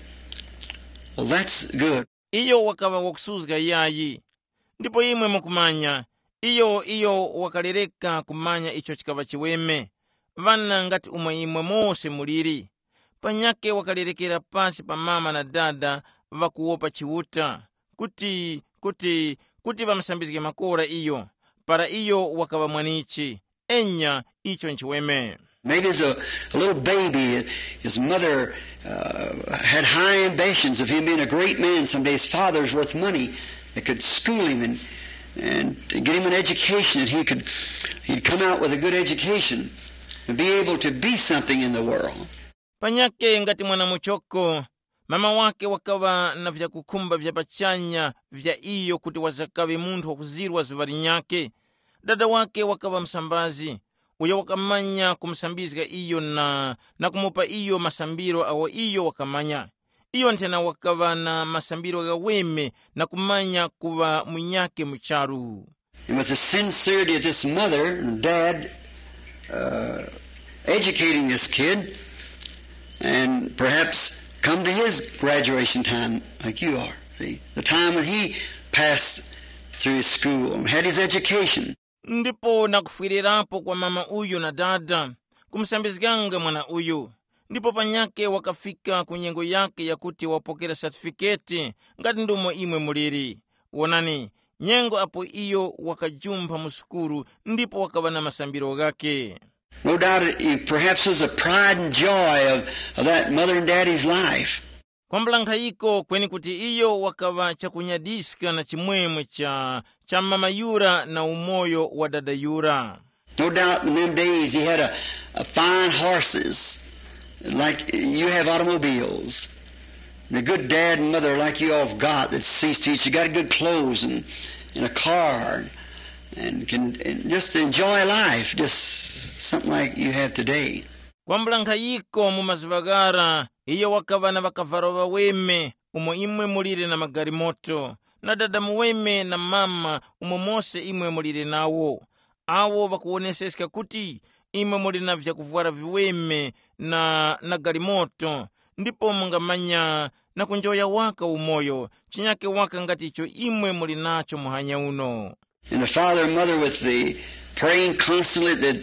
Well, that's good. Iyo wakaŵa wakusuzga yayi. Ndipo imwe mukumanya, iyo iyo wakalereka kumanya icho chikaŵa chiweme. Ŵana ngati umwe imwe mose muliri. Panyakhe wakalerekera pasi pa mama na dada ŵakuwopa Chiuta, kuti kuti kuti ŵamusambizge makora iyo, para iyo wakaŵa mwanichi. Enya, icho nchiweme. Maybe as a, a little baby, his mother uh, had high ambitions of him being a great man someday. His father's worth money that could school him and, and get him an education, that he could he'd come out with a good education and be able to be something in the world. Panyake ngati mwana muchoko, mama wake wakaŵa na vyakukhumba vya pachanya vya iyo kuti wazakaŵe munthu wakuzirwa zuŵa linyakhe. Dada wake wakaŵa msambazi, uyo wakamanya kumusambizga iyo na, na kumupa iyo masambiro agho iyo wakamanya. Iyo nthena wakaŵa na masambiro ghaweme na kumanya kuŵa munyakhe mu charu. And with the sincerity of this mother and dad uh, educating this kid, and perhaps come to his graduation time like you are. See, the time when he passed through his school and had his education. Ndipo nakufwirirapo kwa mama uyu na dada, kumusambizganga mwana uyu. Ndipo panyakhe wakafika ku nyengo yakhe yakuti wapokera satifiketi, ngati ndomwe imwe muliri. Wonani, nyengo apo iyo wakajumpha mu sukulu ndipo wakaŵa na masambiro ghakhe. No doubt it, it perhaps was the pride and joy of, of that mother and daddy's life. Kwambula nkhayiko kweni kuti iyo wakaŵa chakunyadiska na chimwemwe cha, cha mama yura na umoyo wa dada yura. No doubt in them days he had a, a fine horses like you have automobiles. And a good dad and mother like you all have got that sees to it. You got good clothes and, and a car and can and just enjoy life, just something like you have today. Kwambula nkhayiko mu mazuŵa ghara, iyo wakaŵa na ŵakavalo ŵaweme umo imwe mulire na magalimoto, na dada muweme na mama umo mose imwe mulire nawo. Awo ŵakuwoneseska kuti imwe muli na vyakuvwara viweme na, na galimoto, ndipo mungamanya na kunjoya waka umoyo, chinyake waka ngati icho imwe muli nacho muhanya uno. And the father and mother with the praying constantly that,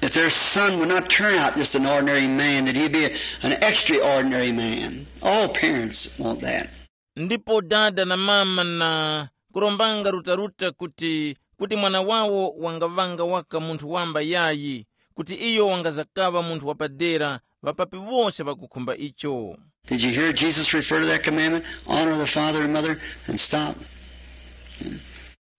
that their son would not turn out just an ordinary man, that he'd be an extraordinary man. All parents want that. Ndipo dada na mama na kurombanga rutaruta kuti kuti mwana wawo wangaŵanga waka munthu wamba yayi, kuti iyo wangazakaŵa munthu wapadera, ŵapapi wose ŵakukhumba icho. Did you hear Jesus refer to that commandment? Honor the father and mother and stop.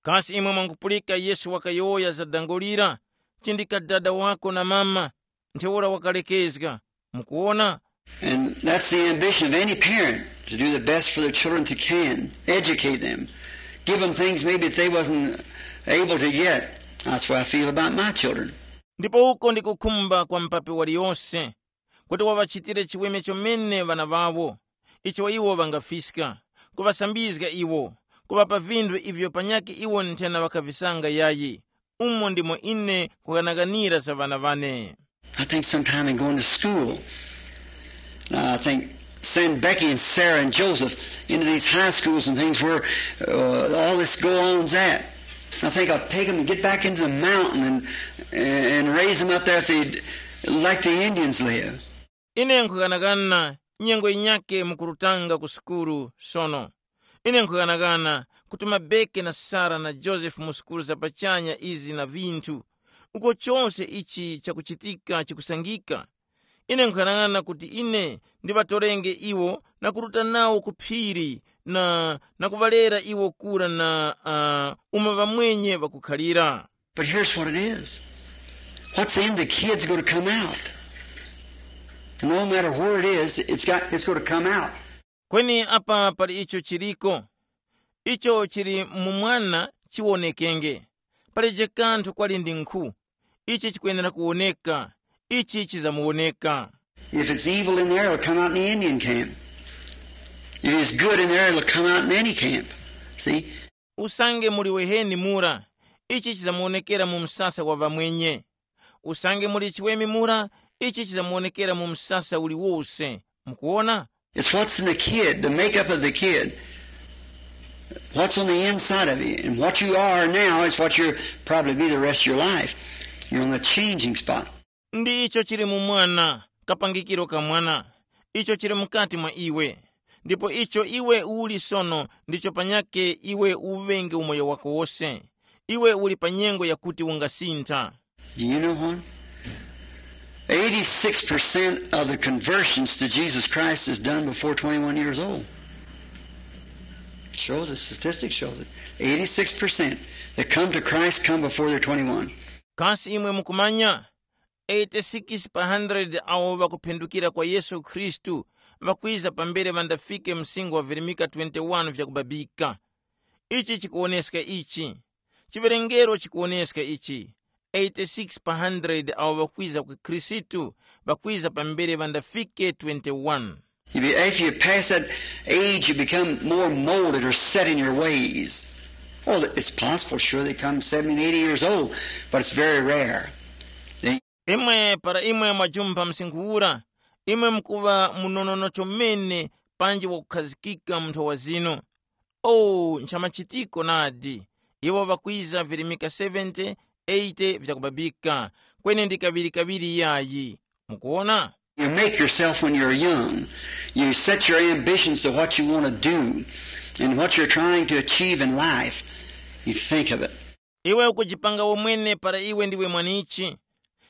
Kasi imwe mwangupulika Yesu wakayowoya za dango lira, chindika dada wako na mama, ntheura wakalekezga? Mukuwona? And that's the ambition of any parent, to do the best for their children that they can, educate them, give them things maybe that they wasn't able to get. That's what I feel about my children. Ndipo uko ndi kukhumba kwa mpapi waliyose, kuti waŵachitire chiweme chomene ŵana ŵawo, icho iwo ŵangafiska, kuŵasambizga iwo, kuŵapa vinthu ivyo panyakhe iwo nthena ŵakavisanga yayi. Umo ndimo ine nkhughanaghanira za ŵana wane. I think sometime in going to school, uh, I think send Becky and Sarah and Joseph into these high schools and things where uh, all this go on's at. I think I'll take them and get back into the mountain and and raise them up there if they like the Indians live. Ine nkhughanaghana nyengo yinyake mukurutanga ku sukulu sono. Ine nkhughanaghana kutuma Beke na Sara na Josefu mu sukulu za pachanya izi na vinthu, uko chose ichi chakuchitika chikusangika. Ine nkhughanaghana kuti ine ndiŵatorenge iwo na kuruta nawo ku phiri na, na kuŵalera iwo kura na uh, umo ŵamwenye ŵakukhalira. But here's what it is. What's in the kid's going to come out. And no matter where it is, it's got it's going to come out. Kweni apa pali icho chiliko, icho chili mu mwana chiwonekenge. Palije kanthu kwali ndi nkhu, ichi chikwenera kuwoneka, ichi chizamuwoneka. If it's evil in there, it'll come out in the Indian camp. If it's good in there, it'll come out in any camp. See? Usange muli weheni mura, ichi chizamuwonekera mu msasa wa ŵamwenye. Usange muli chiweme mura, ichi chizamuwonekera mu msasa uliwose. Mukuwona? It's what's in the kid, the makeup of the kid. What's on the inside of you. And what you are now is what you'll probably be the rest of your life. You're on the changing spot. Ndi icho chili mu mwana, kapangikiro ka mwana, icho chili mukati mwa iwe. Ndipo icho iwe uli sono ndicho panyake iwe uŵenge umoyo wako wose. Iwe uli pa nyengo yakuti ungasintha. Do you know what? Eighty-six percent of the conversions to Jesus Christ is done before twenty-one years old. Shows, the statistics shows it. Eighty-six percent that come to Christ come before they're twenty-one. Kasi imwe mukumanya? eighty-six pa hundred awo ŵakuphendukira kwa Yesu Khristu ŵakwiza pambere ŵandafike msinkhu wa virimika twenty-one vyakubabika. Ichi chikuwoneska ichi. Chiwerengero chikuwoneska ichi. eighty-six pa hundred awo ŵakwiza ku Khristu ŵakwiza pambere ŵandafike twenty-one. If you, if you pass that age, you become more molded or set in your ways. Oh, it's possible, sure, they come seventy and eighty years old, but it's very rare. Imwe para imwe mwajumpha msinkhu ura, imwe mukuŵa munonono chomene panji wakukhazikika mu nthowa zinu. Oh, nchamachitiko nadi! Iwo ŵakwiza virimika seventy, eighty vyakubabika, kweni ndi kaŵiri-kaŵiri yayi. Mukuwona? You make yourself when you're young. You set your ambitions to what you want to do and what you're trying to achieve in life. You think of it. Iwe ukujipanga womwene para iwe ndiwe mwanichi.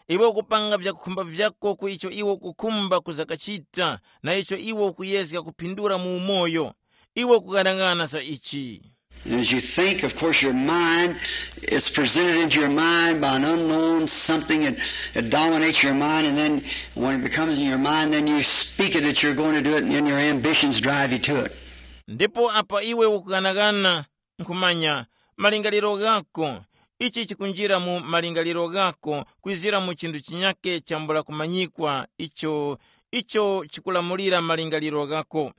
Iwe ukupanga vyakukhumba vyako ku icho iwe ukukhumba kuzakachita na icho iwe ukuyezga kuphindura mu umoyo. Iwe ukughanagana za ichi. And as you think, of course, your mind is presented into your mind by an unknown something that, that dominates your mind, and then when it becomes in your mind, then you speak it that you're going to do it, and then your ambitions drive you to it. Ndipo apa iwe ukughanagana, nkhumanya, malingaliro ghako, ichi chikunjira mu malingaliro ghako kwizira mu chinthu chinyake chambula kumanyikwa icho, icho chikulamulira malingaliro ghako.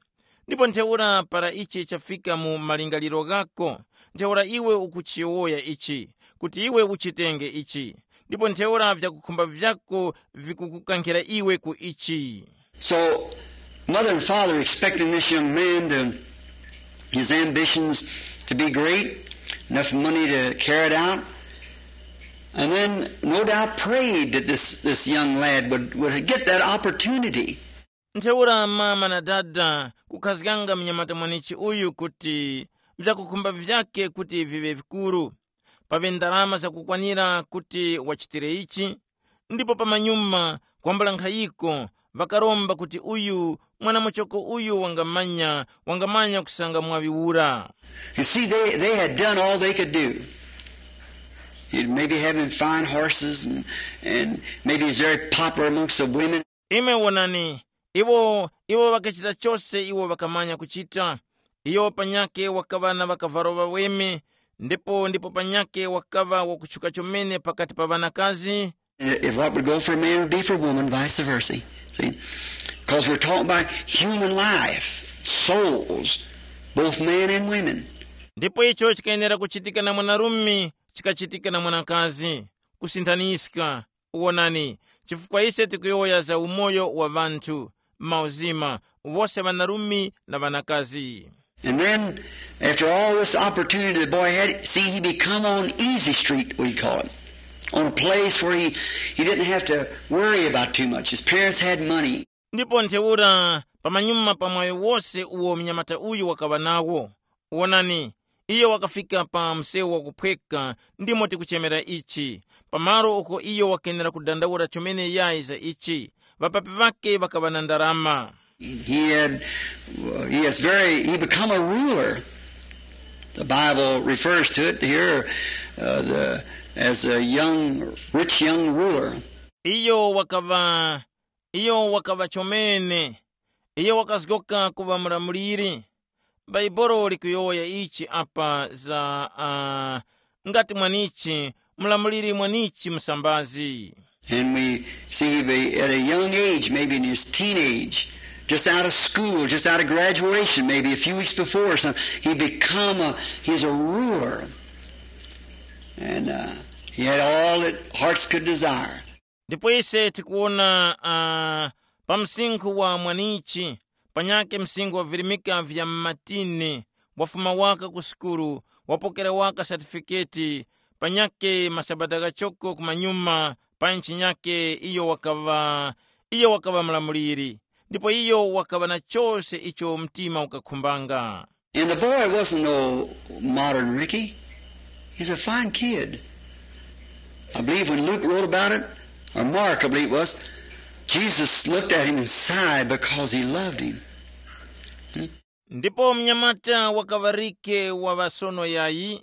Ndipo ntheura para ichi chafika mu malingaliro ghako, ntheura iwe ukuchiyowoya ichi, kuti iwe uchitenge ichi, ndipo ntheura vyakukhumba vyako vikukukankhira iwe ku ichi. So, mother and father expecting this young man to, his ambitions to be great, enough money to carry it out, and then no doubt prayed that this, this young lad would, would get that opportunity. Ntheura mama na dada kukhazganga mnyamata mwanichi uyu kuti vyakukhumba vyake kuti viŵe vikuru. paŵe ndarama zakukwanira kuti wachitire ichi. Ndipo pamanyuma kwambula nkhayiko, ŵakaromba kuti uyu mwanamuchoko uyu wangamanya wangamanya kusanga mwaŵi ura. You see, they, they had done all they could do. He'd maybe having fine horses and, and maybe he's very popular amongst the women. Imwe wonani, iwo iwo ŵakachita chose iwo ŵakamanya kuchita. Iyo panyake wakaŵa na ŵakavalo ŵaweme, ndipo ndipo panyake wakaŵa wakutchuka chomene pakati pa ŵanakazi. If what would go for a man would be for a woman, vice versa. See? Because we're talking about human life, souls, both men and women. Ndipo icho chikayenera kuchitika na mwanarume, chikachitika na mwanakazi. Kusinthaniska. Wonani, chifukwa ise tikuyowoya za umoyo wa ŵanthu, mauzima, wose ŵanarume na ŵanakazi. And then, after all this opportunity the boy had, see, he become on easy street, we call it, on a place where he, he didn't have to worry about too much. His parents had money. Ndipo ntheura, pamanyuma pa mwayo wose uwo mnyamata uyu wakaŵa nawo, wonani, iyo wakafika pa msewu wakuphweka, ndimo tikuchemera ichi, pamalo uko iyo wakenera kudandaula chomene yayi za ichi. Ŵapapi ŵake ŵakaŵa na ndarama. He had, he has very, he become a ruler. The Bible refers to it here uh, the, as a young, rich young ruler. Iyo wakaŵa, iyo wakaŵa chomene. Iyo wakazgoka kuŵa mulamuliri. Bhaibuli likuyowoya ichi apa za uh, ngati mwanichi, mulamuliri mwanichi musambazi. And we see he at a young age, maybe in his teenage, just out of school, just out of graduation, maybe a few weeks before or something, he become a, he's a ruler. And uh, he had all that hearts could desire. Ndipo ise tikuwona uh, pa msinkhu wa mwanichi, panyake msinkhu wavirimika vya mmatini, wafuma waka ku sukulu, wapokera waka satifiketi, panyake masabata ghachoko kumanyuma pa nchi nyake iyo wakaŵa iyo wakaŵa mlamuliri, ndipo iyo wakaŵa na chose icho mtima ukakhumbanga. And the boy wasn't no modern Ricky. He's a fine kid. I believe when Luke wrote about it, or Mark, I believe it was, Jesus looked at him and sighed because he loved him. Ndipo mnyamata wakaŵa Rike wa ŵasono yayi,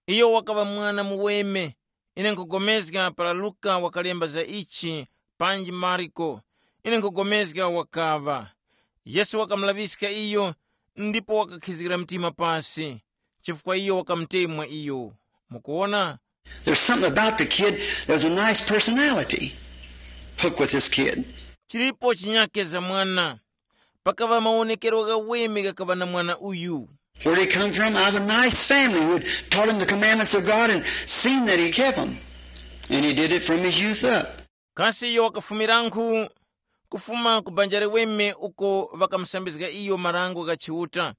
iyo wakaŵa mwana muweme. Ine nkhugomezga para Luka wakalemba za ichi, panji Marko, ine nkhugomezga wakaŵa. Yesu wakamulaŵiska iyo, ndipo wakakhizgira mtima pasi, chifukwa iyo wakamutemwa iyo. Mukuwona? There's something about the kid. There's a nice personality hooked with this kid. Chilipo chinyake za mwana. Pakaŵa mawonekero ghaweme ghakaŵa na mwana uyu. Where he come from? Out of a nice family who had taught him the commandments of God and seen that he kept them. And he did it from his youth up. Kasi iyo wakafumiranku? Kufuma ku banja liweme uko ŵakamusambizga iyo marango gha Chiuta,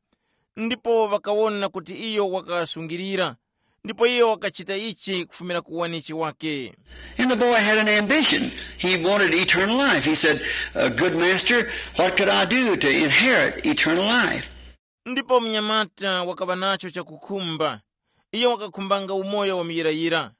ndipo ŵakawona kuti iyo wakasungilira, ndipo iyo wakachita ichi kufumira ku wanichi wake. And the boy had an ambition. He wanted eternal life. He said, "Uh, Good master, what could I do to inherit eternal life?" Ndipo mnyamata wakaŵa nacho chakukhumba. Iyo wakakhumbanga umoyo wa muyirayira.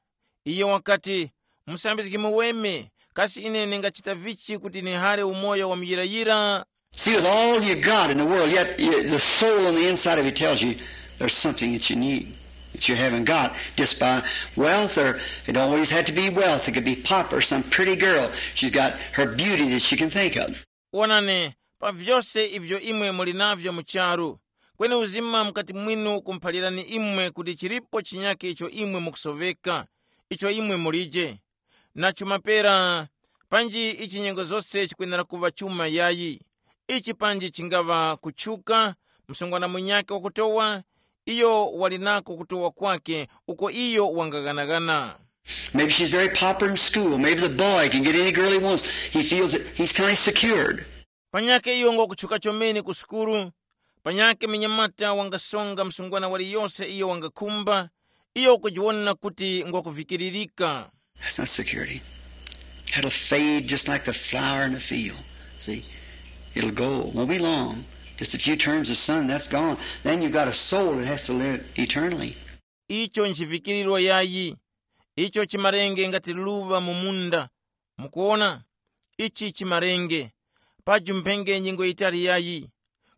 Iyo wakati, "Musambizgi muweme, kasi ine ndingachita vichi kuti nihare umoyo wa muyirayira?" See, with all you got in the world, yet you, the soul on the inside of you tells you there's something that you need, that you haven't got. Just by wealth, or it don't always have to be wealth. It could be pop or some pretty girl. She's got her beauty that she can think of. Wonani, pa vyose ivyo imwe muli navyo mu charu, kweni uzima mukati mwinu kumuphalirani imwe kuti chilipo chinyake icho imwe mukusoveka, icho imwe mulije. Na chuma pera, panji ichi nyengo zose chikwenera kuŵa chuma yayi. Ichi panji chingaŵa kutchuka, msungwana munyakhe wakutowa, iyo wali nako kutowa kwakhe uko iyo wangaghanagana. Maybe she's very popular in school. Maybe the boy can get any girl he wants. He feels that he's kind of secured. Panyakhe iyo ngokutchuka chomene ku sukulu, panyakhe munyamata wangasonga msungwana waliyose iyo wangakhumba, iyo ukujiwona kuti ngwakuvikiririka. That's not security. That'll fade just like the flower in the field. See, it'll go. Won't be long. Just a few turns of sun, that's gone. Then you've got a soul that has to live eternally. Icho nchivikiriro yayi, icho chimarenge ngati luŵa mu munda. Mukuwona, ichi chimarenge, paju mphenge nyengo yitali yayi,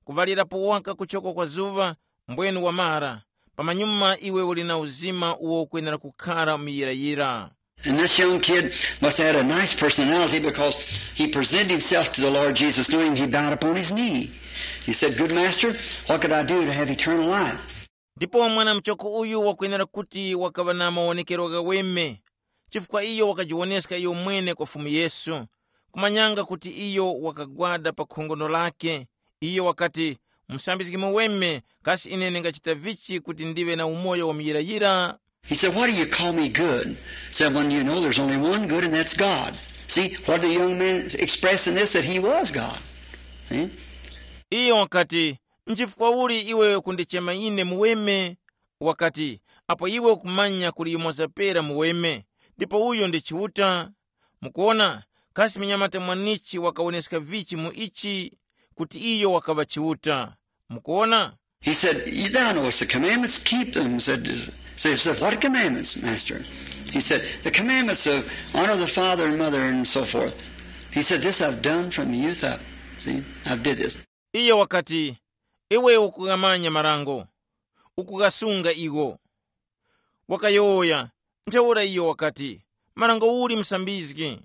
kuŵalirapo waka kuchoko kwa zuŵa, mbwenu wamara. Pamanyuma iwe uli na uzima uwo ukwenera kukhara muyirayira. And this young kid must have had a nice personality, because he presented himself to the Lord Jesus, knowing he bowed upon his knee. He said, "Good master, what could I do to have eternal life?" Ndipo mwana muchoko uyu wakwenera kuti wakaŵa na mawonekero ghaweme, chifukwa iyo wakajiwoneska iyo mwene kwa Fumu Yesu, kumanyanga kuti iyo wakagwada pa khongono lake. Iyo wakati, "Musambizgi muweme, kasi ine ndingachita vichi kuti ndiŵe na umoyo wa muyirayira?" He said, "Why do you call me good?" Said, "When you know there's only one good, and that's God." See, what the young man expressed in this, that he was God. See? Iyo wakati, "Nchifukwa uli iwe kundichema ine muweme?" Wakati, "Apo iwe ukumanya kuli yumoza pera muweme, ndipo uyo ndi Chiuta." Mukuona, kasi munyamata mwanichi wakawoneska vichi mu ichi, kuti iyo wakaŵa Chiuta? Mukuona? He said, "Thou knowest the commandments, keep them." Said, said, said, "What commandments, Master?" He said, "The commandments of honor the father and mother and so forth." He said, "This I've done from youth up." See, I did this. Iyo wakati, "Iwe ukughamanya marango, ukughasunga iwo." Wakayowoya, ntheura iyo wakati, "Marango uli musambizgi?"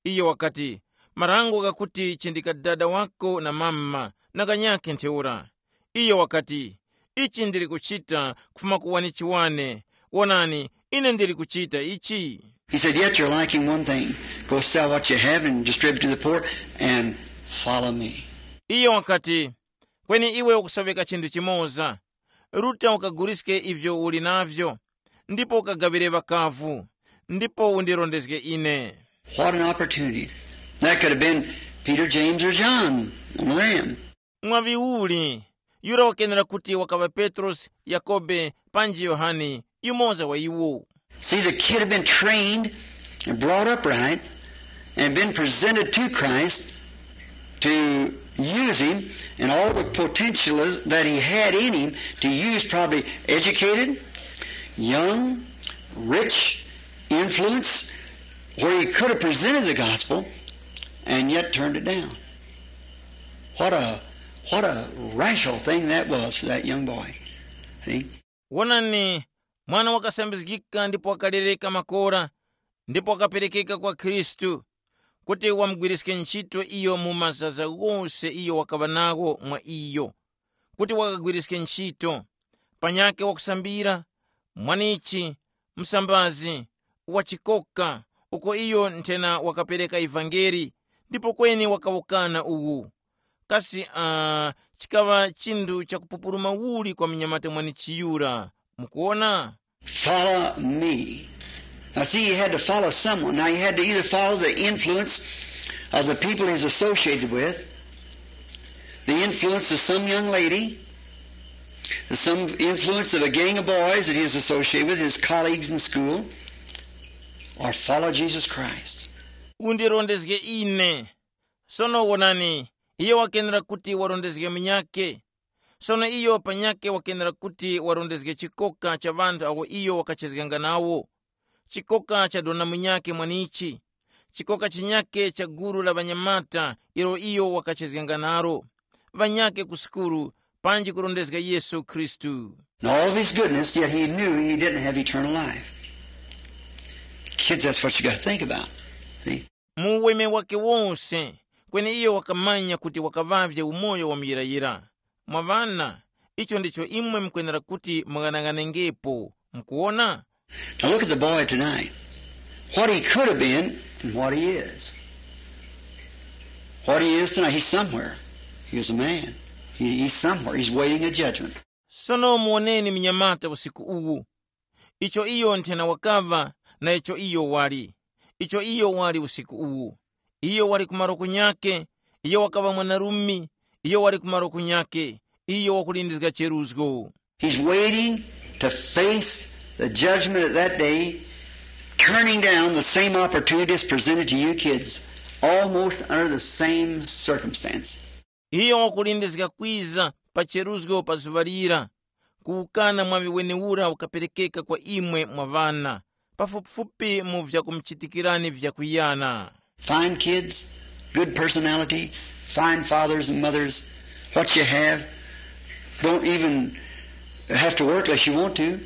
Iyo wakati, "Marango ghakuti chindika dada wako na mama na ghanyakhe ntheura." Iyo wakati, "Ichi ndili kuchita kufuma ku wanichiwane. Wonani, ine ndili kuchita ichi." He said, "Yet you're lacking one thing. Go sell what you have and distribute to the poor and follow me." Iyo wakati, "Kweni iwe ukusoweka chinthu chimoza. Ruta ukaguliske ivyo uli navyo, ndipo ukagaŵire ŵakavu, ndipo undirondezge ine." What an opportunity. That could have been Peter, James, or John, one of them. Mwaŵi uli, yura wakenera kuti wakaŵa Petrosi, Yakobe, panji Yohane, yumoza wa iwo. See, the kid had been trained and brought up right and been presented to Christ to use him and all the potential that he had in him to use, probably educated, young, rich, influence, where he could have presented the gospel and yet turned it down. What a, what a rational thing that was for that young boy. See? Wonani, mwana wakasambizgika ndipo wakalereka makora, ndipo wakaperekeka kwa Khristu, kuti wamugwiriske ntchito iyo mu mazaza ghose iyo wakaŵa nagho mwa iyo, kuti wakagwiriske ntchito, panyakhe wakusambira, mwanichi, msambazi, wachikoka, uko iyo nthena wakapereka ivangeli, ndipo kweni wakawukana uwu. Kasi uh, chikaŵa chinthu chakupupuluma uli kwa munyamata mwanichiyura? Mukuwona? Follow me. Now, see, he had to follow someone. Now, he had to either follow the influence of the people he's associated with, the influence of some young lady, some influence of a gang of boys that he was associated with, his colleagues in school, or follow Jesus Christ. Undirondezge ine. Sono wonani, iye wakenera kuti warondezge munyakhe. Sono iyo panyakhe wakenera kuti warondezge chikoka cha ŵanthu awo iyo wakachezganga nawo, chikoka cha dona munyakhe mwanichi, chikoka chinyakhe cha gulu la ŵanyamata ilo iyo wakachezganga nalo, ŵanyakhe ku sukulu, panji kurondezga Yesu Khristu. And all of his goodness, yet he knew he didn't have eternal life. Kids, that's what you got to think about. See? Mu uweme wake wose, kweni iyo wakamanya kuti wakaŵavye umoyo wa muyirayira. Mwa ŵana, icho ndicho imwe mukwenera kuti mung'anang'anengepo. Mukuwona? Now look at the boy tonight. What he could have been and what he is. What he is tonight, he's somewhere. He was a man. He, he's somewhere. He's waiting a judgment. Sono muwoneni mnyamata usiku uwu, icho iyo nthena wakaŵa na icho iyo wali, icho iyo wali usiku uwu. Iyo wali ku malo kunyakhe, iyo wakaŵa mwanarume, iyo wali ku malo kunyakhe, iyo wakulindizga cheruzgo. He's waiting to face the judgment of that day, turning down the same opportunities presented to you kids, almost under the same circumstance. Iyo wakulindizga kwiza pa cheruzgo pa zuŵa lira, Kuwukana mwaŵi wenewura ukaperekeka kwa imwe mwa ŵana, pafupifupi mu vyakumuchitikirani vyakuyana. Fine kids, good personality, fine fathers and mothers, what you have, don't even have to work unless you want to.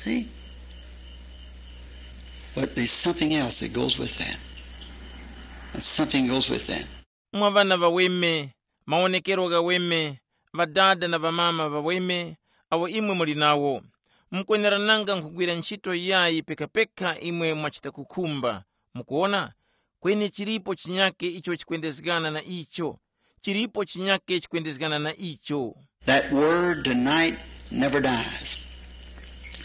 See? But there's something else that goes with that. And something goes with that. Mwa ŵana ŵaweme, mawonekero ghaweme, ŵadada na ŵamama ŵaweme, awo imwe muli nawo, mukwenerananga nkhugwira ntchito yayi pekapeka imwe mwachita kukhumba. Mukuwona? Kweni chilipo chinyake icho chikwendezgana na icho. Chilipo chinyake chikwendezgana na icho. That word tonight never dies.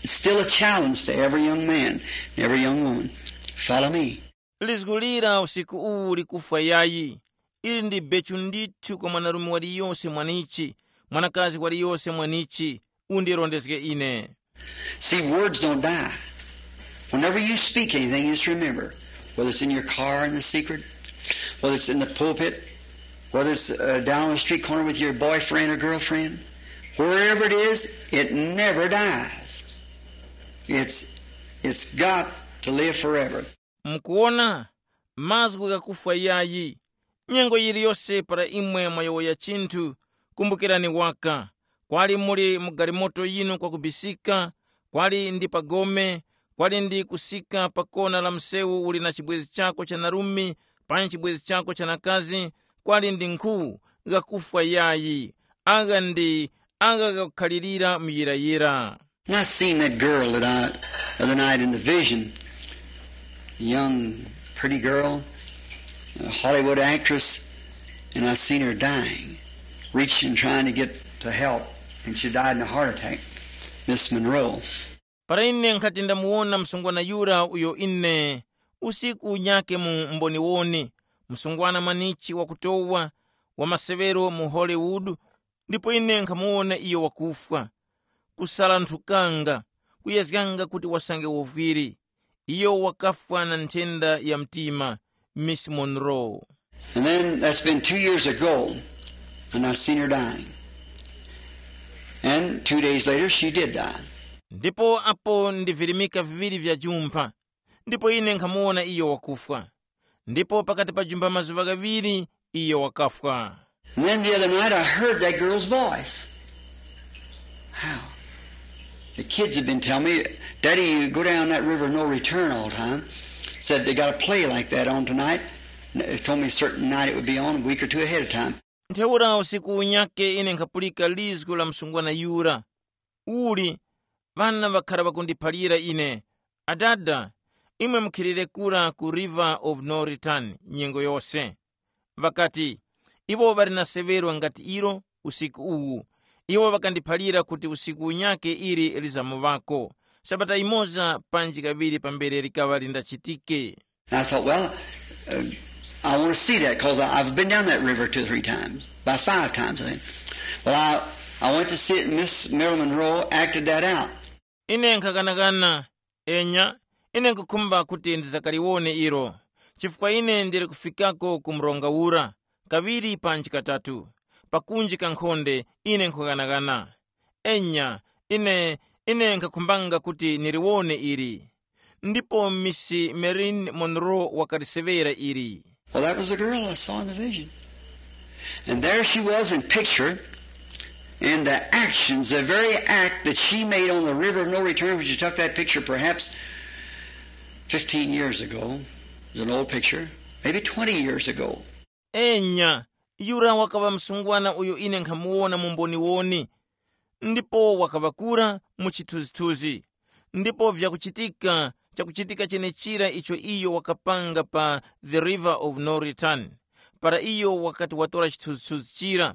It's still a challenge to every young man, every young woman. Follow me. Lizgu lira usiku uwu likufwa yayi. Ili ndi bechu ndithu kwa mwanarume waliyose mwanichi, mwanakazi waliyose mwanichi, undirondezge ine. See, words don't die. Whenever you speak anything, just remember, whether it's in your car in the secret, whether it's in the pulpit, whether it's uh, down on the street corner with your boyfriend or girlfriend, wherever it is, it never dies. It's, it's got to live forever. Mukuwona, mazgu ghakufwa yayi. Nyengo yiliyose para imwe mwayowoya chinthu, kumbukirani waka, kwali muli mu galimoto yinu kwakubisika, kwali ndi pa gome, kwali ndi kusika pa kona la msewu uli na chibwezi chako cha narumi panyi chibwezi chako cha nakazi, kwali ndi nkhu, ghakufwa yayi. Agha ndi agha ghakukhalirira muyirayira. And I seen that girl that I, the other night in the vision, a young, pretty girl, a Hollywood actress, and I seen her dying, reaching, trying to get to help, and she died in a heart attack. Miss Monroe. Para ine nkhati ndamuwona msungwana yura uyo ine usiku unyake mu mboniwoni, msungwana mwanichi wakutowa, wa maseŵero mu Hollywood, ndipo ine nkhamuwona iyo wakufwa, kusalanthukanga, kuyezganga kuti wasange wovwiri. Iyo wakafwa na nthenda ya mtima, Miss Monroe. And then that's been two years ago, and I seen her dying. And two days later, she did die. Ndipo apo ndi virimika viŵiri vya jumpha, ndipo ine nkhamuwona iyo wakufwa. Ndipo pakati pa jumpha mazuŵa ghaŵiri iyo wakafwa. And then the other night I heard that girl's voice. How? The kids had been telling me, "Daddy, you go down that river of no return all the time." Said they got a play like that on tonight. They told me a certain night it would be on, a week or two ahead of time. Ntheura usiku unyake ine nkhapulika lizgu la msungwana yura, uli ŵana ŵakhara ŵakundiphalira ine, "Adada, imwe mukhilire kura ku River of No Return nyengo yose." Ŵakati, "Iwo ŵali na seŵerwa ngati ilo usiku uwu. Iwo ŵakandiphalira kuti usiku unyake ili lizamuŵako, sabata yimoza panji kaŵiri pambere likaŵa lindachitike." And I thought, well, uh, I want to see that because I've been down that river two or three times, about five times, I think. Well, I, I went to see it, and Miss Marilyn Monroe acted that out. Ine nkhakanakana, enya, ine nkukhumba kuti ndizakaliwone ilo, chifukwa ine ndili kufikako ku mronga ura, kaŵiri panji katatu, pakunji ka nkhonde, ine nkhukanakana. Enya, ine, ine nkhakhumbanga kuti niliwone ili. Ndipo Miss Marilyn Monroe wakaliseŵera ili. Well, that was the girl I saw in the vision. And there she was in picture, and the actions, the very act that she made on the river of no return, when she took that picture perhaps fifteen years ago, it was an old picture, maybe twenty years ago. Enya, yura wakaŵa msungwana uyo ine nkhamuwona mu mboniwoni, ndipo wakaŵakura mu chithunzithunzi. Ndipo vyakuchitika, chakuchitika chenechira icho iyo wakapanga pa The River of No Return, para iyo wakati watora chithunzithunzi chira,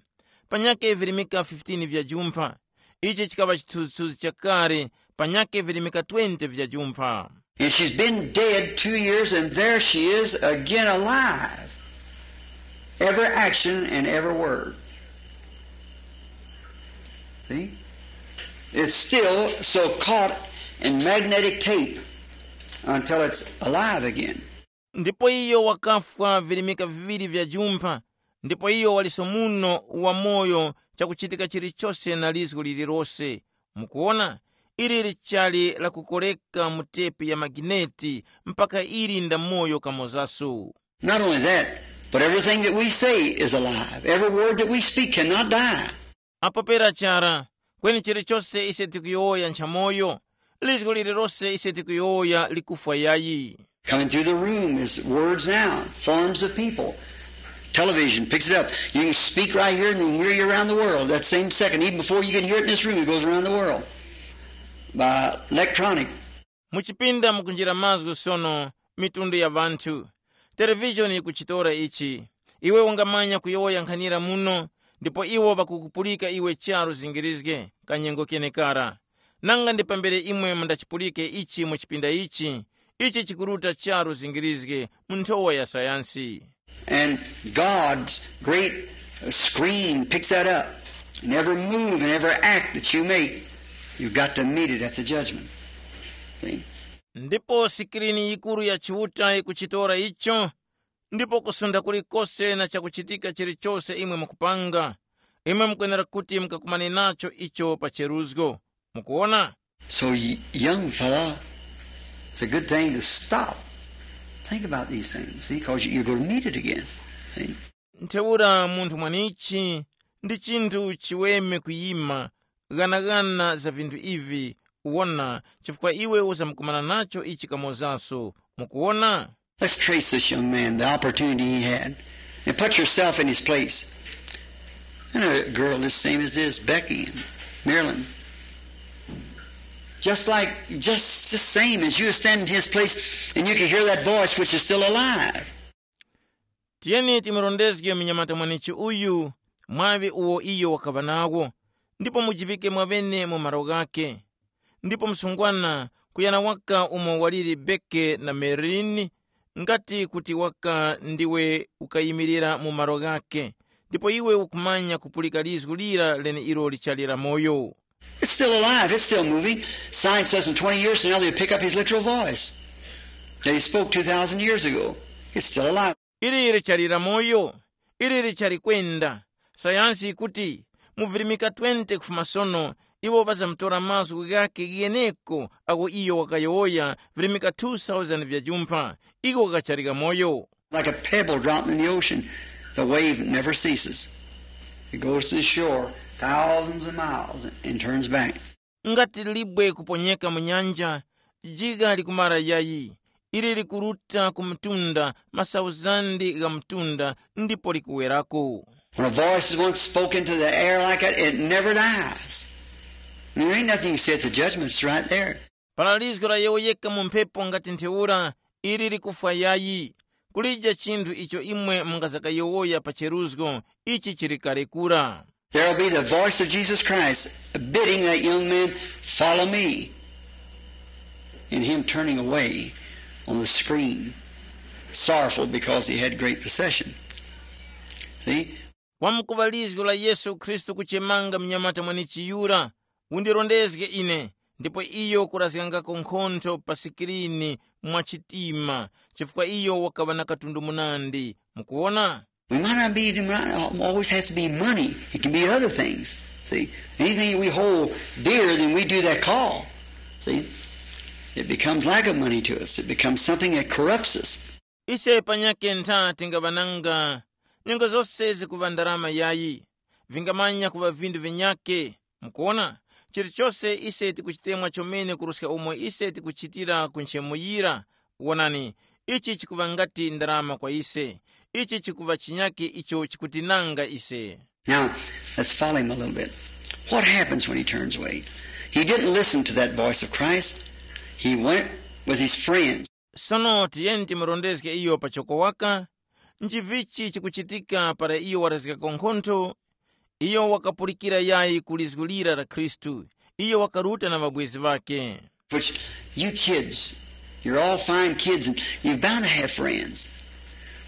panyake virimika fifteen vya jumpha. Ichi chikaŵa chithunzithunzi chakale, panyake virimika twenty vya jumpha. And she's been dead two years, and there she is again alive. Every action and every word. See? It's still so caught in magnetic tape until it's alive again. Ndipo iyo wakafwa virimika viŵiri vya jumpha, ndipo iyo waliso muno wamoyo chakuchitika chilichose na lizgu lililose. Mukuwona, ili lichali lakukoreka mu tepi ya magineti mpaka ili ndamoyo kamozaso. Not only that, but everything that we say is alive. Every word that we speak cannot die. Apo pera chara, kweni chilichose ise tikuyowoya nchamoyo, lizgu lililose ise tikuyowoya likufwa yayi. Coming through the room is words now, forms of people. Television picks it up. You can speak right here and then hear you around the world. That same second, even before you can hear it in this room, it goes around the world by electronic. Muchipinda mukunjira mazgu sono, mitundu ya vanthu. Televishoni yikuchitora ichi. Iwe ungamanya kuyowoya nkhanira muno, ndipo iwo ŵakukupulika iwe charu zingirizge kanyengo kenekara. Nanga ndi pambere imwe mundachipulike ichi mu chipinda ichi, ichi chikuruta charu zingirizge mu nthowa ya sayansi. And God's great screen picks that up. And every move and every act that you make, you've got to meet it at the judgment. See? Ndipo sikirini yikuru ya Chiuta ikuchitora icho, ndipo kusunda kulikose na chakuchitika chilichose imwe mukupanga, imwe mukwenera kuti mukakumane nacho icho pa cheruzgo. Mukuwona? So, y- young fella, it's a good thing to stop. Think about these things, see, because you're going to meet it again. See? Ntheura munthu mwanichi, ndi chinthu chiweme kuyima, ghanaghana za vinthu ivi, wona, chifukwa iwe uzamukumana nacho ichi kamozaso. Mukuwona? Let's trace this young man, the opportunity he had, and put yourself in his place. And a girl as same as this, Becky, Marilyn. Just like, just the same as you stand in his place and you can hear that voice which is still alive. Tiyeni timurondezge munyamata mwanichi uyu, mwaŵi uwo iyo wakaŵa nawo, ndipo mujivike mwaŵene mu malo ghakhe. Ndipo msungwana, kuyana waka umo waliri Beke na Merini, ngati kuti waka ndiwe ukayimirira mu malo ghakhe, ndipo iwe ukumanya kupulika lizgu lira leneilo lichali la moyo. It's still alive. It's still moving. Science says in twenty years from now they'll pick up his literal voice that he spoke two thousand years ago. It's still alive. Ili lichali la moyo, ili lichali kwenda. Sayansi ikuti mu virimika twenty kufuma sono, iwo ŵazamutora mazgu ghakhe gheneko agho iyo wakayowoya virimika two thousand vya jumpha, iko ghakachali kamoyo. Like a pebble dropped in the ocean, the wave never ceases. It goes to the shore thousands of miles and turns back. Ngati libwe kuponyeka mu nyanja, jigha likumara yayi, ili likuruta ku mtunda, masauzandi gha mtunda, ndipo likuwerako. When a voice is once spoken to the air like that, it never dies. There ain't nothing you say at the judgment, it's right there. Para lizgo layowoyeka mu mphepo ngati ntheura, ili likufwa yayi. Kulija chinthu icho imwe mungazakayowoya pa cheruzgo, ichi chili kale kura. There'll be the voice of Jesus Christ bidding that young man, "Follow me," and him turning away on the screen, sorrowful because he had great possession. See? Wamkuŵa lizgo la Yesu Khristu kuchemanga mnyamata mwanichi yura, undirondezge ine, ndipo iyo kurazgangako nkhontho pa sikirini mwa chitima, chifukwa iyo wakaŵa na katundu munandi. Mukuwona? We might not be, it might not always has to be money. It can be other things. See, anything we hold dear, then we do that call. See, it becomes like a money to us. It becomes something that corrupts us. Ise panyake ntha tingaŵananga, nyengo zose zikuŵa ndarama yayi, vingamanya kuŵa vindu vinyake. Mukuwona, chilichose ise tikuchitemwa chomene kuruska umo ise tikuchitira ku nchemuyira. Wonani, ichi chikuŵa ngati ndarama kwa ise. Ichi chikuŵa chinyake icho chikutinanga ise. Now, let's follow him a little bit. What happens when he turns away? He didn't listen to that voice of Christ. He went with his friends. Sono tiyeni timurondezge iyo pachoko waka. Nchivichi chikuchitika para iyo warazgako nkhontho? Iyo wakapulikira yayi ku lizgu lira la Khristu. Iyo wakaruta na ŵabwezi ŵakhe. Which, you kids, you're all fine kids and you're bound to have friends.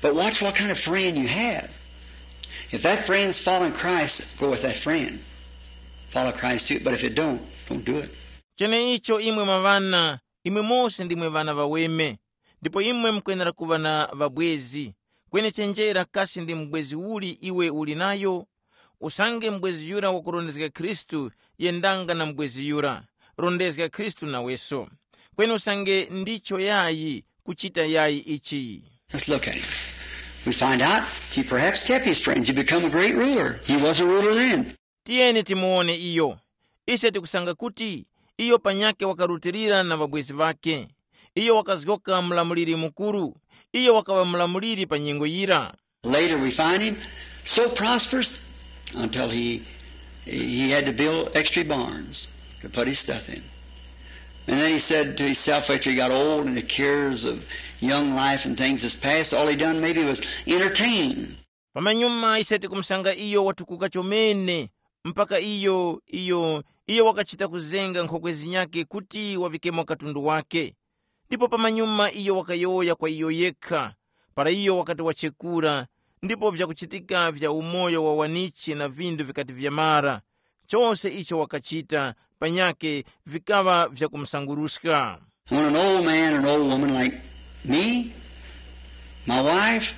But watch what kind of friend you have. If that friend's following Christ, go with that friend. Follow Christ too, but if it don't, don't do it. Cheneicho imwe mwaŵana, imwe mose ndimwe ŵana ŵaweme, ndipo imwe mukwenera kuŵa na ŵabwezi. Kweni chenjera kasi ndi mubwezi uli iwe uli nayo? Usange mubwezi yura wakurondezga Khristu, yendanga na mubwezi yura, rondezga Khristu naweso. Kweni usange ndicho yayi kuchita yayi ichi. Let's look at him. We find out he perhaps kept his friends. He become a great ruler. He was a ruler then. Tiyeni timuwone iyo. Ise tikusanga kuti iyo panyakhe wakarutilira na ŵabwezi ŵakhe. Iyo wakazgoka mlamuliri mukuru. Iyo wakaŵa mlamuliri pa nyengo yira. Later we find him so prosperous until he he had to build extra barns to put his stuff in. And then he said to himself after he got old and the cares of young life and things is past, all he done maybe was entertain. Pamanyuma ise tikumusanga iyo watukuka chomene, mpaka iyo iyo iyo wakachita kuzenga nkhokwe zinyakhe kuti wavikemo katundu wake. Ndipo pamanyuma iyo wakayowoya kwa iyo yekha, para iyo wakati wachekura, ndipo vyakuchitika vya umoyo wa wanichi na vindu vikati vyamara, chose icho wakachita panyakhe vikaŵa vyakumusanguruska. When an old man or an old woman like me, my wife,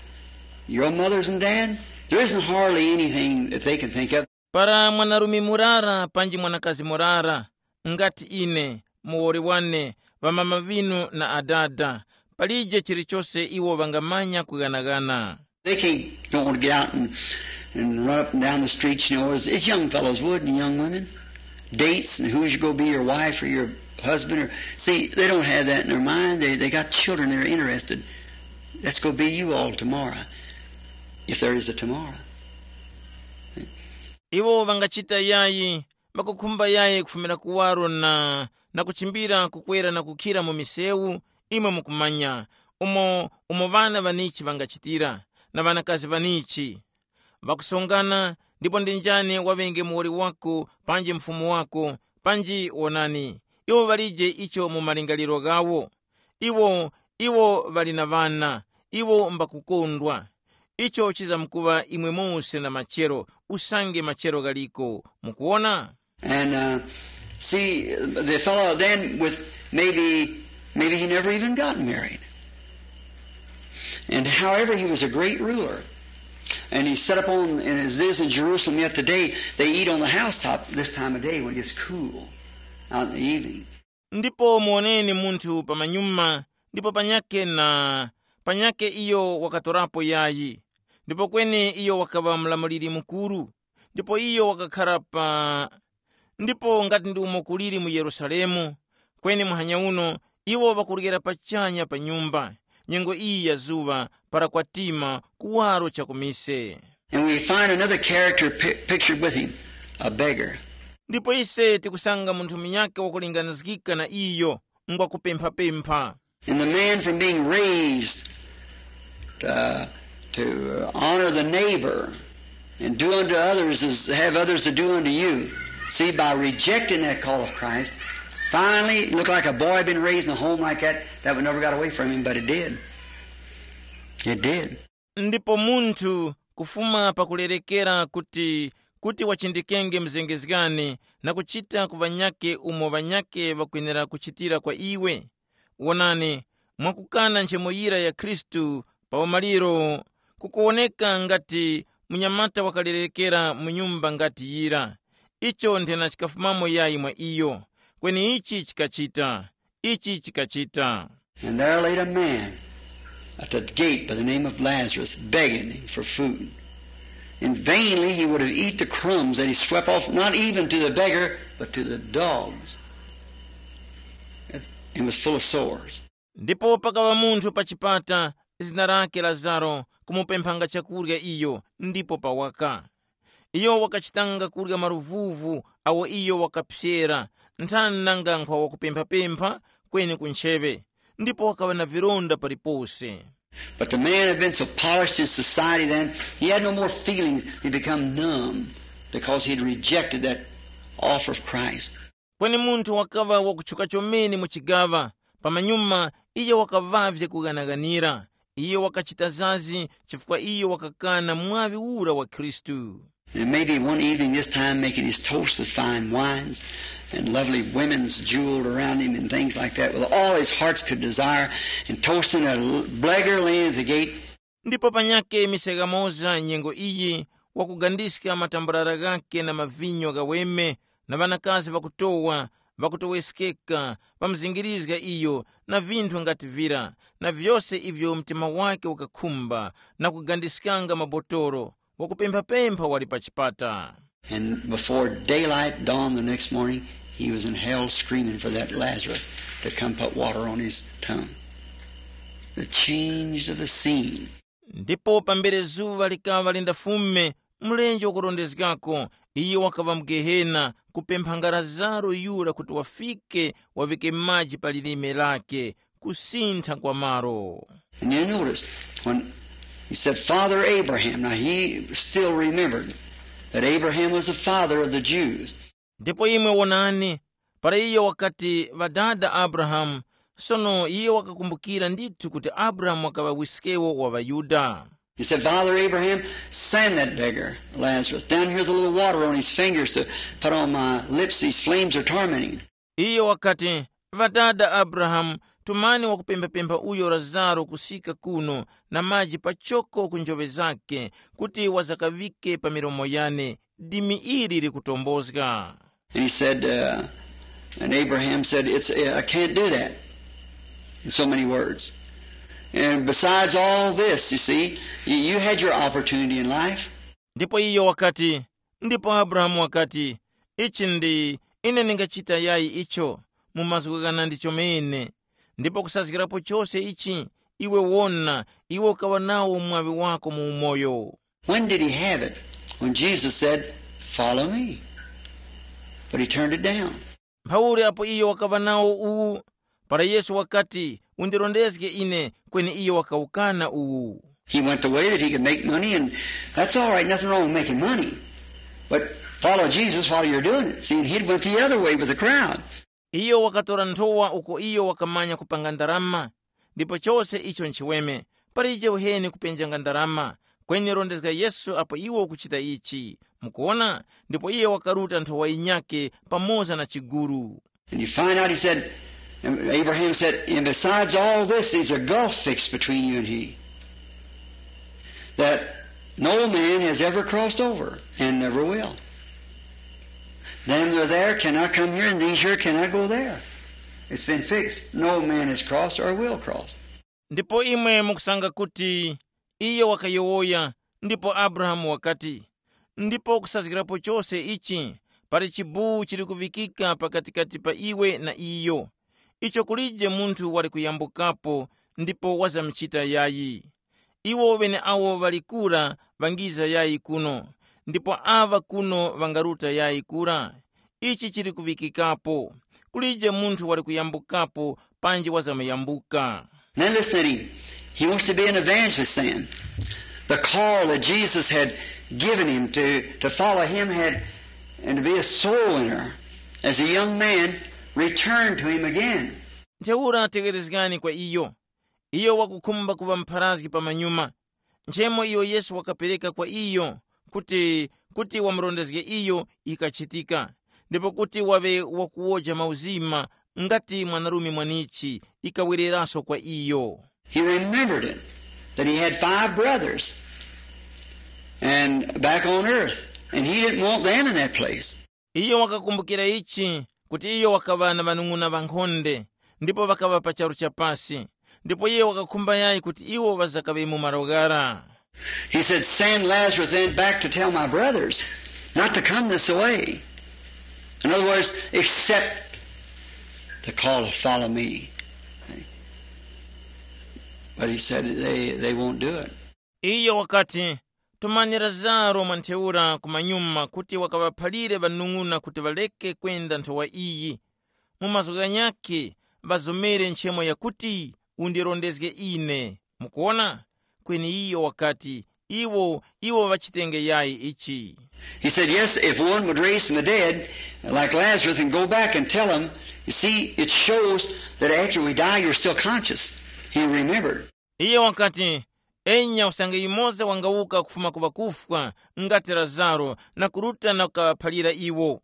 your mothers and dad, there isn't hardly anything that they can think of. Para mwanarume murara panji mwanakazi murara, ngati ine, muwoli wane, ŵamama ŵinu na adada, palije chilichose iwo ŵangamanya kughanaghana. They can't go on to get out and, and run up and down the streets, you know, as, as young fellows would and young women. Dates and who's going to be your wife or your husband. Or, see, they don't have that in their mind. They, they got children that are interested. That's going to be you all tomorrow, if there is a tomorrow. Iwo ŵangachita yayi, ŵakukhumba yayi kufumira kuwaro na, na kuchimbira kukwera na kukhira mu misewu, imwe mukumanya, umo umo ŵana ŵanichi ŵangachitira, na ŵanakazi ŵanichi. Ŵakusongana, ndipo ndi njani waŵenge muwoli wako panji mfumu wako, panji wonani, iwo ŵalije icho mu malingaliro ghawo. Iwo iwo ŵali na ŵana, iwo mbakukondwa. Icho chizamkuŵa imwe mose na machero, usange machero ghaliko. Mukuwona? And uh, see, the fellow then with maybe, maybe he never even got married. And however, he was a great ruler. And he set up on, and as it is in Jerusalem yet today, they eat on the housetop this time of day when it's cool out in the evening. Ndipo muwoneni munthu pamanyuma, ndipo panyake na panyake iyo wakatorapo yayi. Ndipo kweni iyo wakaŵa mlamuliri mukuru. Ndipo iyo wakakhara pa ndipo ngati ndi umo kuliri mu Yerusalemu, kweni muhanya uno iwo ŵakuryera pachanya pa nyumba, nyengo iyi ya zuŵa, para kwatima kuwaro cha kumise. And we find another character pi- pictured with him, a beggar. Ndipo ise tikusanga munthu munyakhe wakulinganizgika na iyo, ngwa kupemphapempha. And the man from being raised uh, to honor the neighbor and do unto others as have others to do unto you. See, by rejecting that call of Christ, finally, it looked like a boy been raised in a home like that, that would never got away from him, but it did. It did. Ndipo munthu kufuma pakulerekera kuti kuti wachindikenge mzengezgani na kuchita ku ŵanyakhe umo ŵanyakhe ŵakwenera kuchitira kwa iwe. Wonani, mwakukana nchemo yira ya Khristu pa umaliro, kukuwoneka ngati munyamata wakalerekera mu nyumba ngati yira. Icho nthena chikafumamo yayi mwa iyo, kweni ichi chikachita, ichi chikachita. And there laid a man at the gate by the name of Lazarus, begging for food. And vainly he would have eat the crumbs that he swept off, not even to the beggar, but to the dogs. And was full of sores. Ndipo pakaŵa munthu pa chipata, zina lake Lazaro, kumupemphanga chakurya iyo, ndipo pawaka. Iyo wakachitanga kurya maluvuvu awo iyo wakaphyera, nthani nanga nkhwa wakupemphapempha kweni ku ntcheŵe, ndipo wakaŵa na vilonda palipose. But the man had been so polished in society then, he had no more feelings. He become numb because he had rejected that offer of Christ. Kweni munthu wakaŵa wakutchuka chomene mu chigaŵa, pamanyuma iyo wakaŵavye kughanaghanira. Iyo wakachita zazi chifukwa iyo wakakana mwaŵi ura wa Khristu. And maybe one evening this time making his toast with fine wines and lovely women's jeweled around him and things like that, with all his hearts could desire, and toasting a l- beggar laying at the gate. Ndipo panyake mise ghamoza nyengo iyi, wakugandiska matambarara ghakhe na mavinyo ghaweme, na ŵanakazi ŵakutowa, ŵakutoweskeka, ŵamuzingirizga iyo, na vinthu ngati vira, na vyose ivyo mtima wakhe wakakhumba, na kugandiskanga mabotolo, wakupemphapempha wali pa chipata. And before daylight dawned the next morning, he was in hell screaming for that Lazarus to come put water on his tongue. The change of the scene. Ndipo pambere zuŵa likaŵa lindafume, mlenje wakurondezgako, iyo wakaŵa mu Gehena, kupemphanga Lazaro yura kuti wafike, waŵike maji pa lilime lake, kusintha kwa malo. And you notice, when he said, "Father Abraham," now he still remembered that Abraham was the father of the Jews. Ndipo imwe wonani, para iyo wakati, "Ŵadada Abrahamu," sono iyo wakakumbukira ndithu kuti Abrahamu wakaŵa wiskewo wa ŵaYuda. He said, "Father Abraham, send that beggar, Lazarus, down here with a little water on his fingers to put on my lips. These flames are tormenting." Iyo wakati, "Ŵadada Abrahamu, tumani wakupemphapempha uyo Lazaro kusika kuno na maji pachoko ku njoŵe zake, kuti wazakaŵike pa milomo yane, dimi ili likutombozga." And he said, uh, and Abraham said, "It's, I can't do that," in so many words. And besides all this, you see, you, you had your opportunity in life. Ndipo iyo wakati, ndipo Abrahamu wakati, "Ichi ndi, ine ndingachita yayi icho, mu mazgu ghana ndi chomene. Ndipo kusazgirapo chose ichi, iwe wona, iwe ukaŵa nawo mwaŵi wako mu umoyo." When did he have it? When Jesus said, "Follow me." But he turned it down. Mphauli apo iyo wakaŵa nawo uwu, para Yesu wakati, "Undirondezge ine," kweni iyo wakawukana uwu. He went the way that he could make money, and that's all right, nothing wrong with making money. But follow Jesus while you're doing it. See, and he went the other way with the crowd. Iyo wakatora nthowa uko iyo wakamanya kupanga ndarama, ndipo chose icho nchiweme, palije uheni kupenjanga ndarama, kweni rondezga Yesu apo iwo ukuchita ichi. Mukuona? Ndipo iye wakaruta nthowa yinyakhe pamoza na chiguru. And you find out, he said, Abraham said, "And besides all this, there's a gulf fixed between you and he, that no man has ever crossed over and never will. Them that are there cannot come here, and these here cannot go there. It's been fixed. No man has crossed or will cross." Ndipo imwe mukusanga kuti iyo wakayowoya, ndipo Abrahamu wakati, "Ndipo kusazgirapo chose ichi, pali chibuwu chili kuvikika pakatikati pa iwe na iyo, icho kulije munthu wali kuyambukapo ndipo wazamuchita yayi. Iwo ŵeneawo ŵali kura ŵangiza yayi kuno, ndipo aŵa kuno ŵangaruta yayi kura. Ichi chili kuvikikapo, kulije munthu wali kuyambukapo panji wazamuyambuka." Now listen to him. He wants to be an evangelist then. The call that Jesus had given him to, to follow him had, and to be a soul winner. As a young man, returned to him again. Ntheura tegherezgani kwa iyo. Iyo wakukhumba kuŵa mpharazgi pamanyuma. Nchemo iyo Yesu wakapereka kwa iyo kuti, kuti wamurondezge iyo ikachitika, ndipo kuti waŵe wakuwoja mauzima ngati mwanarume mwanichi ikawereraso kwa iyo. He remembered it, that he had five brothers and back on earth, and he didn't want them in that place. Iyo wakakumbukira ichi, kuti iyo wakaŵa na ŵanung'una ŵankhonde, ndipo ŵakaŵa pa charu cha pasi, ndipo iyo wakakhumba yayi kuti iwo ŵazakaŵe mu malo ghara. He said, "Send Lazarus then back to tell my brothers not to come this way." In other words, accept the call to follow me. But he said they, they won't do it. Iyo wakati, "Tumani Lazaro mwa ntheura kumanyuma kuti wakaŵaphalire ŵanung'una kuti ŵareke kwenda nthowa iyi. Mu mazgu ghanyakhe ŵazomere nchemo yakuti undirondezge ine." Mukuwona? Kweni iyo wakati, "Iwo, iwo ŵachitenge yayi ichi." He said, "Yes, if one would raise from the dead, like Lazarus, and go back and tell him, you see, it shows that after we die, you're still conscious." He remembered. Iyo wakati, "Enya usange yumoza wangawuka kufuma ku ŵakufwa ngati Lazaro na kuruta na kukaphalira iwo.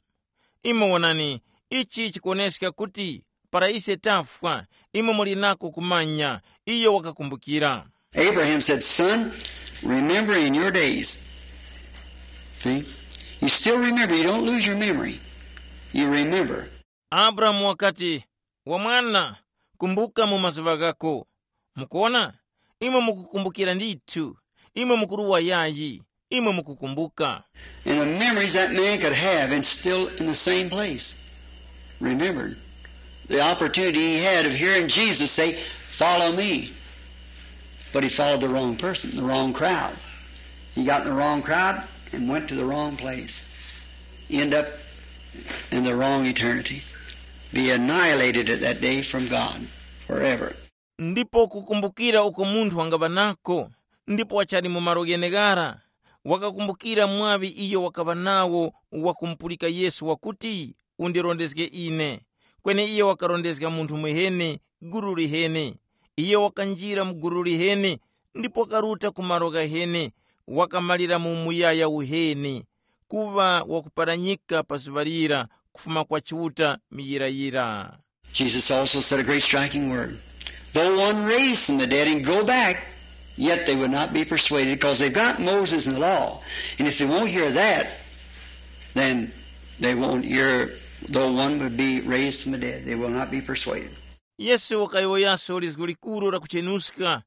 Imwe wonani, ichi chikuwoneska kuti para ise tafwa, imwe muli nako kumanya." Iyo wakakumbukira. Abraham said, "Son, remember in your days See? You still remember. You don't lose your memory. You remember. Abrahamu wakati, "Wa mwana, kumbuka mu mazuŵa ghako." Mukuona? Imwe mukukumbukira ndithu. Imwe mukuruwa yayi. Imwe mukukumbuka. And the memories that man could have and still in the same place. Remember the opportunity he had of hearing Jesus say, "Follow me." But he followed the wrong person, the wrong crowd. He got in the wrong crowd and went to the wrong place. End up in the wrong eternity. Be annihilated at that day from God forever. Ndipo kukumbukira uko munthu wangaŵa nako, ndipo wachali mu malo gheneghara, wakakumbukira mwaŵi iyo wakaŵa nawo wakumupulika Yesu wakuti, "Undirondezge ine." Kweni iyo wakarondezga munthu mwiheni, gulu liheni. Iyo wakanjira mu gulu liheni, ndipo wakaruta ku malo ghaheni, wakamalira mu muyaya uheni, kuŵa wakuparanyika pa zuŵa lira kufuma kwa Chiuta muyirayira. Jesus also said a great striking word. "Though one raise from the dead and go back, yet they would not be persuaded, because they've got Moses and the law. And if they won't hear that, then they won't hear, though one would be raised from the dead, they will not be persuaded." Yesu wakayowoyaso lizgu likuru la kuchenuska,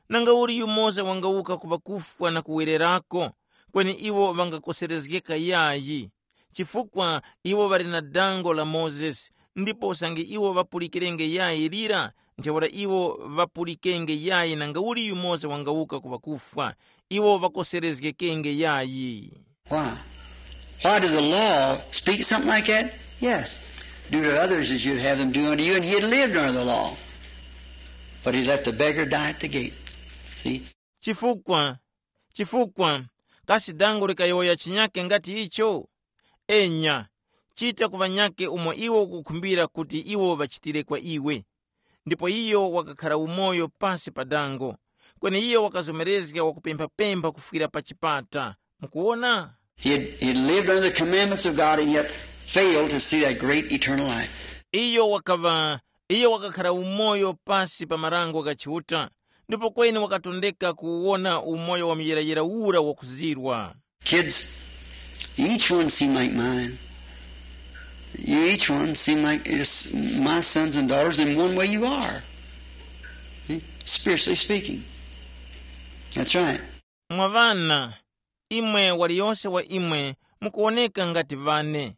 nanga uli yumoza wangawuka ku ŵakufwa na kuwererako, kweni iwo ŵangakoserezgeka yayi. Chifukwa iwo ŵali na dango la Mozesi, ndipo usange iwo ŵapulikirenge yayi lira, ntheura iwo ŵapulikenge yayi nanga uli yumoza wangawuka ku ŵakufwa, iwo ŵakoserezgekenge yayi. Why? Why did the law speak something like that? Yes. Do to others as you'd have them do unto you, and he had lived under the law. But he let the beggar die at the gate. See? Chifukwa, chifukwa, kasi dango likayowoya chinyake ngati icho? Enya, chita ku ŵanyake umo iwo ukukhumbira kuti iwo ŵachitire kwa iwe. Ndipo iyo wakakhara umoyo pasi pa dango, kweni iyo wakazomerezga wakupemphapempha kufwira pa chipata. Mukuwona? He had, he had lived under the commandments of God and yet failed to see that great eternal life. Iyo wakaŵa, iyo wakakhara umoyo pasi pa marango gha Chiuta, ndipo kweni wakatondeka kuwona umoyo wa muyirayira ura wakuzirwa. Kids, each one seem like mine. You each one seem like it's my sons and daughters in one way you are. Hmm? Spiritually speaking. That's right. Mwa ŵana, imwe waliyose wa imwe mukuwoneka ngati ŵane.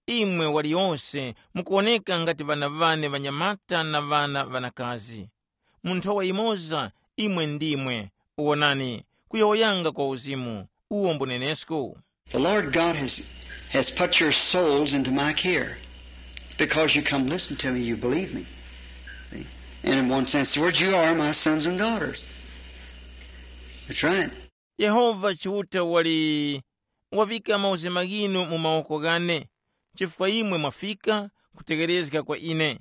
Imwe waliyose mukuwoneka ngati ŵana ŵane ŵanyamata na ŵana ŵanakazi. Mu nthowa yimoza, imwe ndimwe. Wonani, kuyowoyanga kwa uzimu, uwo mbunenesko. The Lord God has, has put your souls into my care. Because you come listen to me, you believe me. See? And in one sense of the word, you are my sons and daughters. That's right. Yehova Chiuta wali wavika mauzima ghinu mu mawoko ghane, chifukwa imwe mwafika kutegerezga kwa ine.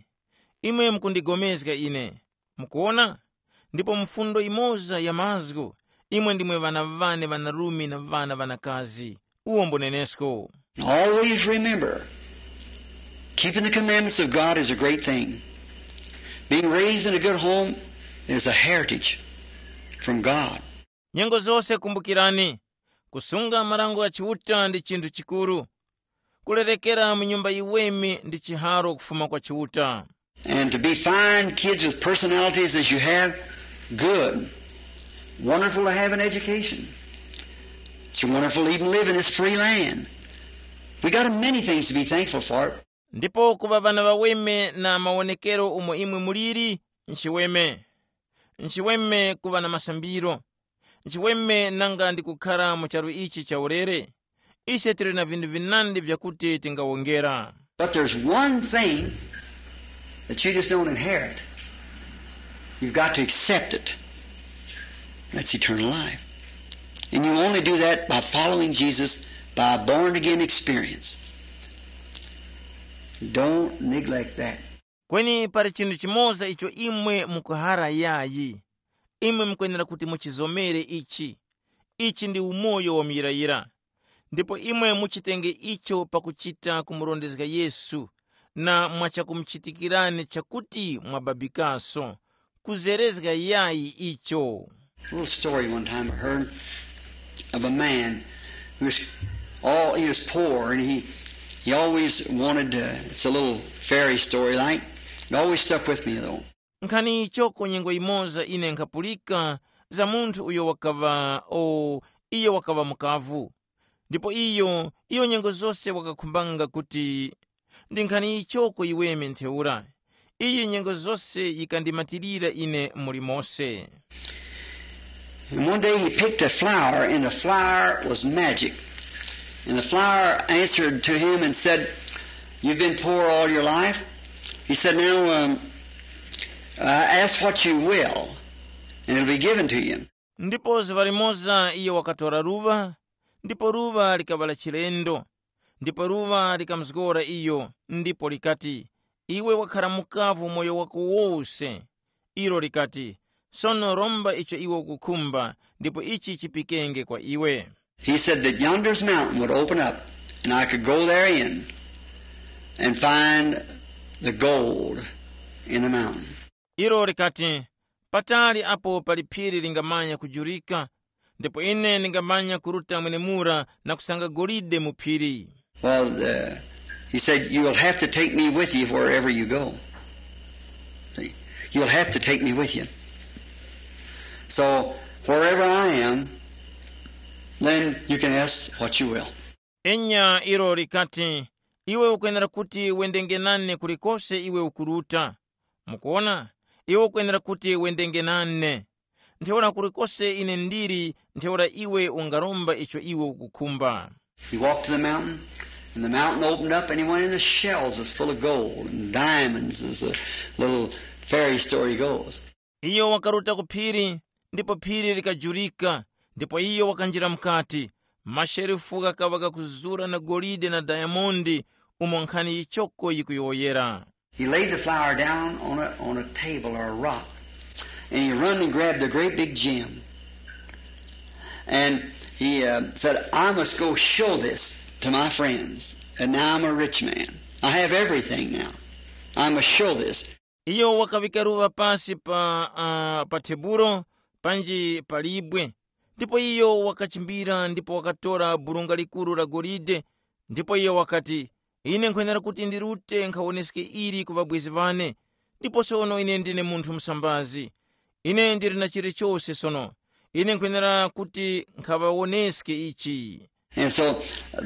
Imwe mukundigomezga ine. Mukuwona? Ndipo mfundo imoza ya mazgu, imwe ndimwe ŵana ŵane ŵanarume na ŵana ŵanakazi. Uwo mbunenesko. Always remember, keeping the commandments of God is a great thing. Being raised in a good home is a heritage from God. Nyengo zose kumbukirani, kusunga marango gha Chiuta ndi chinthu chikuru. Kulerekera mu nyumba yiweme ndi chiharo kufuma kwa Chiuta. And to be fine kids with personalities as you have, good. Wonderful to have an education. It's wonderful to even live in this free land. We got many things to be thankful for. Ndipo kuŵa ŵana ŵaweme na mawonekero umo imwe muliri, nchiweme. Nchiweme kuŵa na masambiro. Nchiweme nanga ndi kukhara mu charu ichi chaulere. Ise tili na vinthu vinandi vyakuti tingawongera. But there's one thing that you just don't inherit. You've got to accept it. That's eternal life. And you only do that by following Jesus by a born again experience. Don't neglect that. Kweni pali chinthu chimoza icho imwe mukuhara yayi. Imwe mukwenera kuti muchizomere ichi. Ichi ndi umoyo wa muyirayira. Ndipo imwe muchitenge icho pakuchita kumurondezga Yesu, na mwachakumuchitikirani chakuti mwababikaso. Kuzerezga yayi icho. A little story one time I heard of a man who was Oh, he was poor, and he, he always wanted to, it's a little fairy story like. It always stuck with me, though. Nkhani ichoko nyengo imoza ine nkhapulika za munthu uyo wakaŵa o iyo wakaŵa mukavu. Ndipo iyo iyo nyengo zose wakakhumbanga kuti ndi nkhani ichoko iweme ntheura. Iyi nyengo zose yikandimatirira ine muli mose. And one day he picked a flower, and the flower was magic. And the flower answered to him and said, "You've been poor all your life." He said, "Now, um, uh, ask what you will, and it'll be given to you." Ndipo zuŵa limoza iyo wakatora luŵa, ndipo luŵa likaŵa la chilendo. Ndipo luŵa likamuzgora iyo, ndipo likati, "Iwe wakhara mukavu umoyo wako wose." Ilo likati, "Sono romba icho iwe ukukhumba, ndipo ichi chipikenge kwa iwe." He said that yonder's mountain would open up, and I could go therein and find the gold in the mountain. Ilo likati, "Patali apo pali phiri lingamanya kujurika, ndipo ine ndingamanya kuruta mwenemura na kusanga golide mu phiri." Well, uh, he said, "You will have to take me with you wherever you go." See? "You'll have to take me with you. So, wherever I am, then you can ask what you will." Enya ilo likati, "Iwe ukwenera kuti wendenge nane kulikose iwe ukuruta." Mukuona? Iwe ukwenera kuti wendenge nane. Ntheura kulikose ine ndili, ntheura iwe ungaromba icho iwe ukukhumba. He walked to the mountain, and the mountain opened up, and he went in, the shells was full of gold and diamonds, as the little fairy story goes. Iyo wakaruta ku phiri, ndipo phiri likajurika, ndipo iyo wakanjira mukati. Masherifu ghakaŵa ghakuzura na golide na dayamondi, umo nkhani yichoko yikuyowoyera. He laid the flower down on a, on a table or a rock, and he run and grabbed a great big gem. And he uh, said, "I must go show this to my friends. And now I'm a rich man. I have everything now. I must show this." Iyo wakavika luŵa pasi pa, uh, pa tebulo panji pa libwe, ndipo iyo wakachimbira ndipo wakatora burunga likuru la golide. Ndipo iyo wakati, "Ine nkhwenera kuti ndirute nkhawoneske ili ku ŵabwezi ŵane, ndipo sono ine ndine munthu msambazi. Ine ndili na chilichose sono. Ine nkhwenera kuti nkhaŵawoneske ichi." And so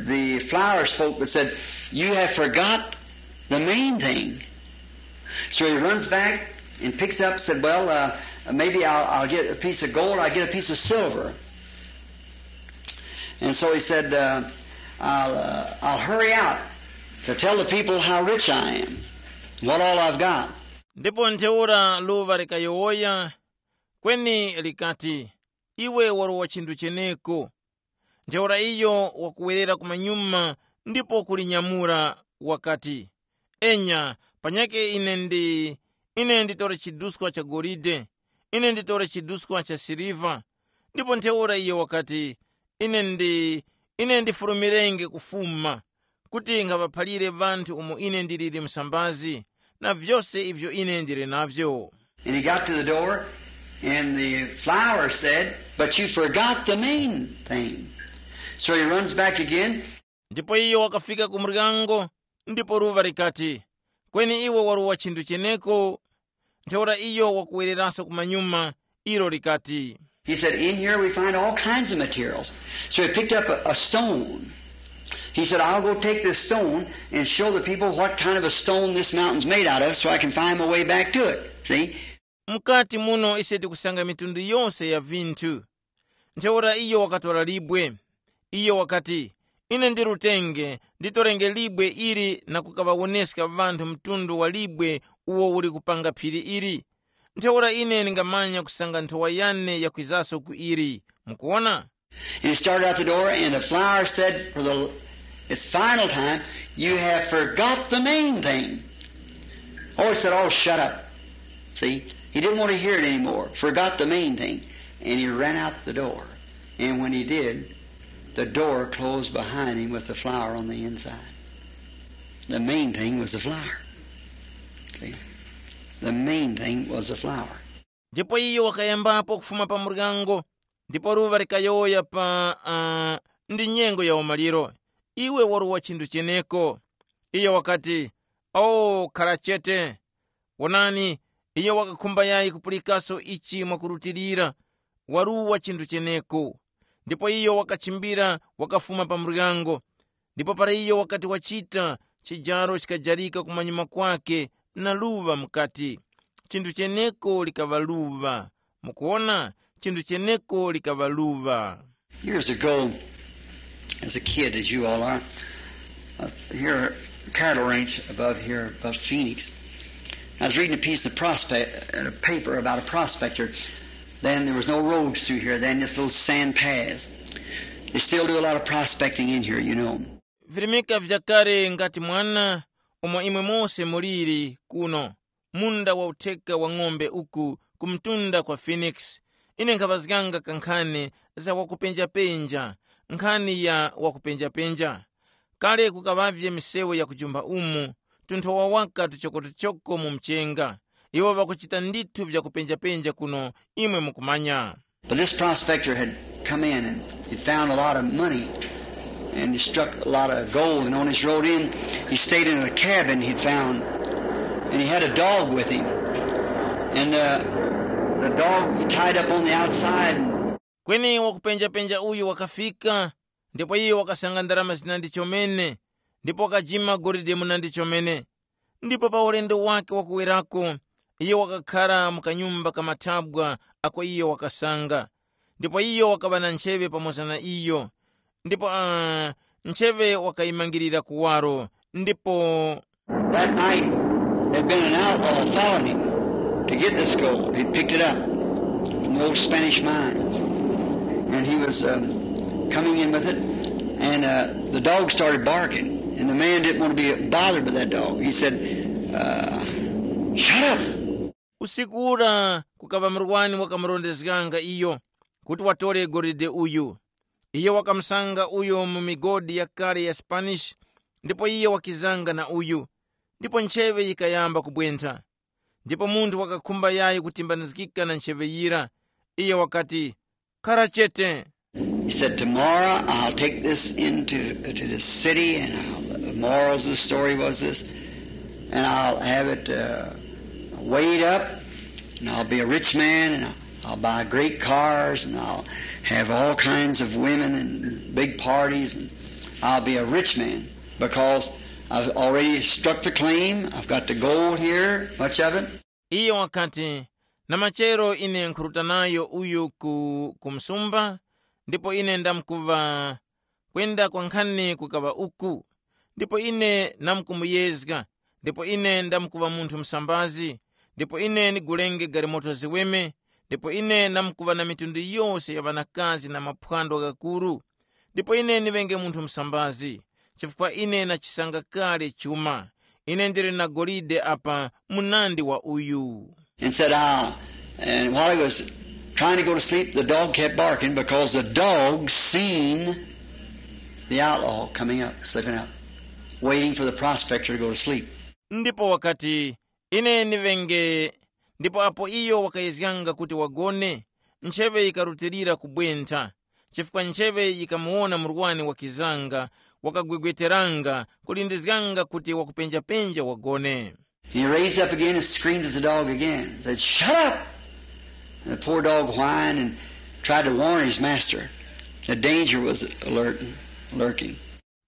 the flower spoke but said, "You have forgot the main thing." So he runs back and picks up, said, "Well, uh, maybe I'll, I'll get a piece of gold, I'll get a piece of silver." And so he said, uh, I'll, uh, I'll hurry out to tell the people how rich I am, what all I've got. Ndipo ntheura luva likayowoya, kweni likati, "Iwe warowa chinthu cheneko." Ntheura iyo wakuwerera kumanyuma ndipo kulinyamura, wakati, "Enya, panyakhe ine ndi, ine nditore chiduskwa cha golide, ine nditore chiduskwa cha siliva." Ndipo ntheura iyo wakati, "Ine ndi, ine ndifurumirenge kufuma, kuti nkhaŵaphalire ŵanthu umo ine ndiliri msambazi, na vyose ivyo ine ndili navyo." And he got to the door, and the flower said, "But you forgot the main thing." So he runs back again. Ndipo iyo wakafika ku muryango, ndipo luva likati, "Kweni iwe warowa chinthu cheneko." Ntheura iyo wakuwereranso kumanyuma, ilo likati, He said, "In here we find all kinds of materials." So he picked up a, a stone. He said, "I'll go take this stone and show the people what kind of a stone this mountain's made out of so I can find my way back to it." See? "Mukati muno ise tikusanga mitundu yose ya vinthu." Ntheura iyo wakatora libwe. Iyo wakati, "Ine ndirutenge, nditorenge libwe ili na kukaŵawoneska ŵanthu mtundu wa libwe uwo uli kupanga phiri ili. Ntheura ine ndingamanya kusanga nthowa yane yakwizaso ku ili." Mukuwona? And he started out the door, and the flower said for the, its final time, "You have forgot the main thing." Oh, he said, "Oh, shut up." See, he didn't want to hear it anymore. Forgot the main thing. And he ran out the door. And when he did, the door closed behind him with the flower on the inside. The main thing was the flower. See? The main thing was the flower. Ndipo iyo wakayambapo kufuma pa muryango, ndipo luva likayowoya pa uh, ndi nyengo ya umaliro. iwe waruwa chinthu cheneko. Iyo wakati, “O, khara chete.” Wonani, iyo wakakhumba yayi kupulikaso ichi mwakurutilira, waruwa chinthu cheneko. Ndipo iyo wakachimbira wakafuma pa muryango. Ndipo para iyo wakati wachita, chijaro chikajarika kumanyuma kwake na luŵa mukati. Chinthu cheneko likaŵa luŵa. Mukuwona, chinthu cheneko likaŵa luŵa. Years ago, as a kid, as you all are, uh, here, cattle ranch above here, above Phoenix. I was reading a piece of prospect, uh, paper about a prospector. Then there was no roads through here, then just little sand paths. They still do a lot of prospecting in here, you know. Virimika vyakale ngati mwana, umo imwe mose muliri kuno, munda wa utheka wa ng'ombe uku ku mtunda kwa Phoenix. Ine nkhaŵazganga kankhani za wakupenjapenja, nkhani ya wakupenjapenja. Kale kukaŵavye misewu ya kujumba umu, tunthowa waka tuchokotuchoko mu mchenga. Iwo ŵakuchita ndithu vyakupenjapenja kuno, imwe mukumanya. But this prospector had come in and he'd found a lot of money and he struck a lot of gold. And on his road in, he stayed in a cabin he'd found. And he had a dog with him. And uh, the dog he tied up on the outside. And Kweni wakupenjapenja uyu wakafika, ndipo iyo wakasanga ndarama zinandi chomene, ndipo wakajima golide munandi chomene. Ndipo pa ulendo wake wakuwerako, iyo wakakhara mu kanyumba ka mathabwa ako iyo wakasanga. Ndipo iyo wakaŵa na ncheŵe pamoza na iyo. Ndipo uh, ncheŵe wakayimangirira kuwaro. Ndipo That night, there'd been an outlaw following him to get this gold. He picked it up from the old Spanish mines. And he was um, coming in with it. And uh, the dog started barking. And the man didn't want to be bothered by that dog. He said, uh, "Shut up." Usiku ura kukaŵa murwani wakamurondezganga iyo kuti watore golide uyu. Iyo wakamusanga uyo mu migodi yakale ya Spanish, ndipo iyo wakizanga na uyu, ndipo ncheŵe yikayamba kubwentha. Ndipo munthu wakakhumba yayi kutimbanizgika na ncheŵe yira. Iyo wakati, “Khara chete.” He said, "Tomorrow I'll take this into to the city, and I'll, the morals of the story was this, and I'll have it uh, weighed up, and I'll be a rich man, and I'll, I'll buy great cars, and I'll have all kinds of women and big parties, and I'll be a rich man because I've already struck the claim. I've got the gold here, much of it." Iyo wakati, “Na machero ine nkhuruta nayo uyu ku, ku msumba, ndipo ine ndamkuŵa kwenda kwankhani kukaŵa uku, ndipo ine namkumuyezga, ndipo ine ndamkuŵa munthu msambazi, ndipo ine ndigulenge galimoto ziweme, ndipo ine namkuŵa na mitundu yose ya ŵanakazi na maphwando ghakuru, ndipo ine ndiŵenge munthu msambazi, chifukwa ine nachisanga kale chuma. Ine ndili na golide apa munandi wa uyu.” And said, "Ah," and while he was trying to go to sleep, the dog kept barking because the dog seen the outlaw coming up, slipping up, waiting for the prospector to go to sleep. Ndipo wakati, “Ine ndiŵenge.” Ndipo apo iyo wakayezganga kuti wagone, ncheŵe yikarutilira kubwentha, chifukwa ncheŵe yikamuwona murwani wakizanga, wakagwegweteranga, kulindizganga kuti wakupenjapenja wagone. He raised up again and screamed at the dog again, said, "Shut up!" And the poor dog whined and tried to warn his master that danger was alert, lurking.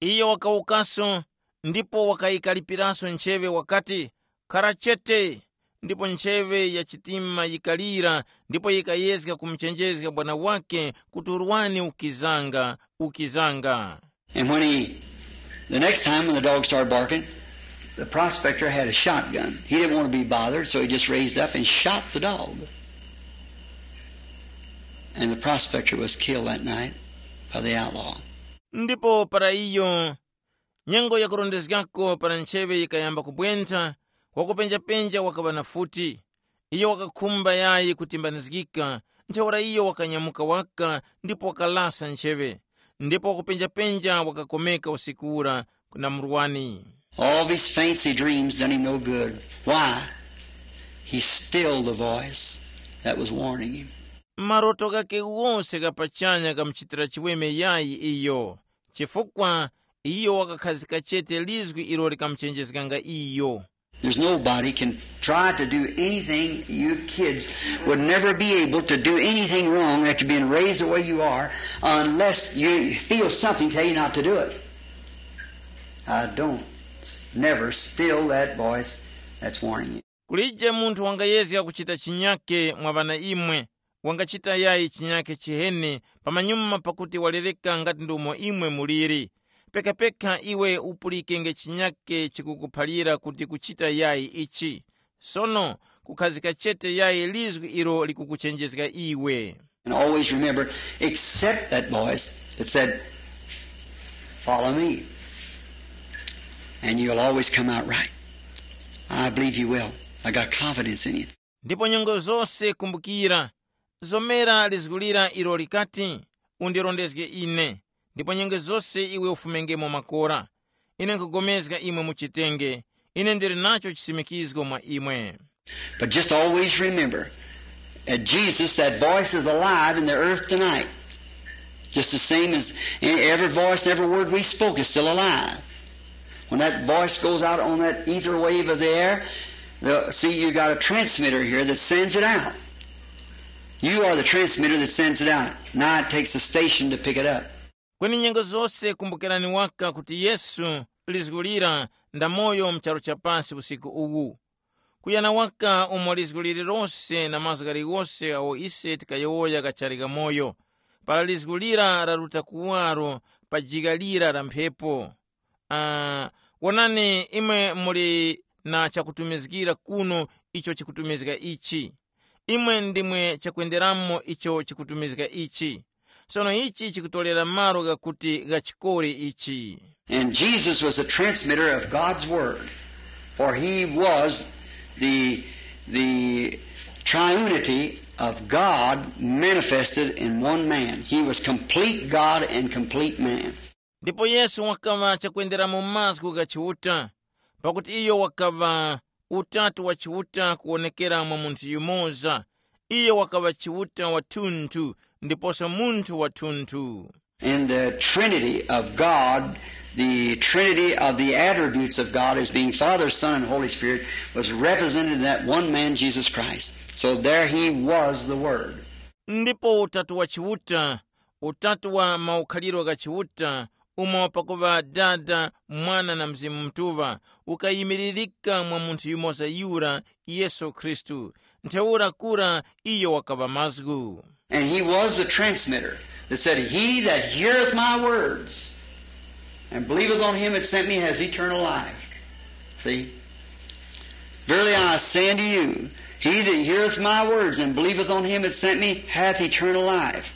Iyo wakawukaso, ndipo wakayikalipiranso ncheŵe wakati, “Khara chete!” Ndipo ncheŵe ya chitima yikalira, ndipo yikayezga kumuchenjezga bwana wake kuti urwani ukizanga, ukizanga. And when he, the next time when the dog started barking, the prospector had a shotgun. He didn't want to be bothered, so he just raised up and shot the dog. And the prospector was killed that night by the outlaw. Ndipo para iyo, nyengo yakurondezgako para ncheŵe yikayamba kubwentha, wakupenjapenja wakaŵa na futi. Iyo wakakhumba yayi kutimbanizgika, ntheura iyo wakanyamuka waka ndipo wakalasa ncheŵe. Ndipo wakupenjapenja wakakomeka usiku ura na murwani. All these fancy dreams done him no good. Why? He stilled the voice that was warning him. Maroto ghake wose gha pachanya ghamuchitira chiweme yayi iyo, chifukwa Iyo wakakhazika chete lizgu ilo likamuchenjezganga iyo. There's nobody can try to do anything. You kids would never be able to do anything wrong after being raised the way you are unless you feel something tell you not to do it. I don't. Never still that voice that's warning you. Kulije munthu wangayezga kuchita chinyake mwa ŵana imwe, wangachita yayi chinyake chiheni pamanyuma pakuti walereka ngati ndi umo imwe muliri. Pekapeka iwe upulikenge chinyake chikukuphalira kuti kuchita yayi ichi. Sono kukhazika chete yayi lizgu ilo likukuchenjezga iwe. And always remember, accept that voice that said, "Follow me, and you'll always come out right." I believe you will. I got confidence in you. Ndipo nyengo zose kumbukira, zomera lizgulira ilo likati, undirondezge ine, ndipo nyengo zose iwe ufumengemo makora. Ine nkugomezga imwe muchitenge. Ine ndili nacho chisimikizgo mwa imwe. But just always remember, at Jesus, that voice is alive in the earth tonight. Just the same as any, every voice, every word we spoke is still alive. When that voice goes out on that ether wave of the air, the, see, you got a transmitter here that sends it out. You are the transmitter that sends it out. Now it takes a station to pick it up. Kweni nyengo zose kumbukirani waka kuti Yesu lizgulira ndamoyo mu charu cha pasi usiku uwu. Kuyana waka umo lizgu lililose na mazgu ghaligose agho ise tikayowoya ghachali ghamoyo, para lizgu lira laruta kuwaro pa jigha lira la mphepo. Ah, wonani, imwe muli na chakutumizgira kuno icho chikutumizga ichi. Imwe ndimwe chakwenderamo icho chikutumizga ichi. Sono ichi chikutorera malo ghakuti ghachikore ichi. And Jesus was the transmitter of God's word, for he was the, the triunity of God manifested in one man. He was complete God and complete man. Ndipo Yesu wakaŵa chakwenderamo mazgu gha Chiuta, pakuti iyo wakaŵa Utatu wa Chiuta kuwonekera mwa munthu yumoza. Iyo wakaŵa Chiuta wathunthu ndiposo munthu wathunthu. In the Trinity of God, the Trinity of the attributes of God as being Father, Son, and Holy Spirit was represented in that one man, Jesus Christ. So there he was the Word. Ndipo Utatu wa Chiuta, Utatu wa maukhaliro gha Chiuta, umo pakuŵa Dada, Mwana na Mzimu Mutuŵa, ukayimiririka mwa munthu yumoza yura, Yesu Khristu. Ntheura kura iyo wakaŵa mazgu. And he was the transmitter that said, "He that heareth my words and believeth on him that sent me has eternal life." See? "Verily I say unto you, he that heareth my words and believeth on him that sent me hath eternal life."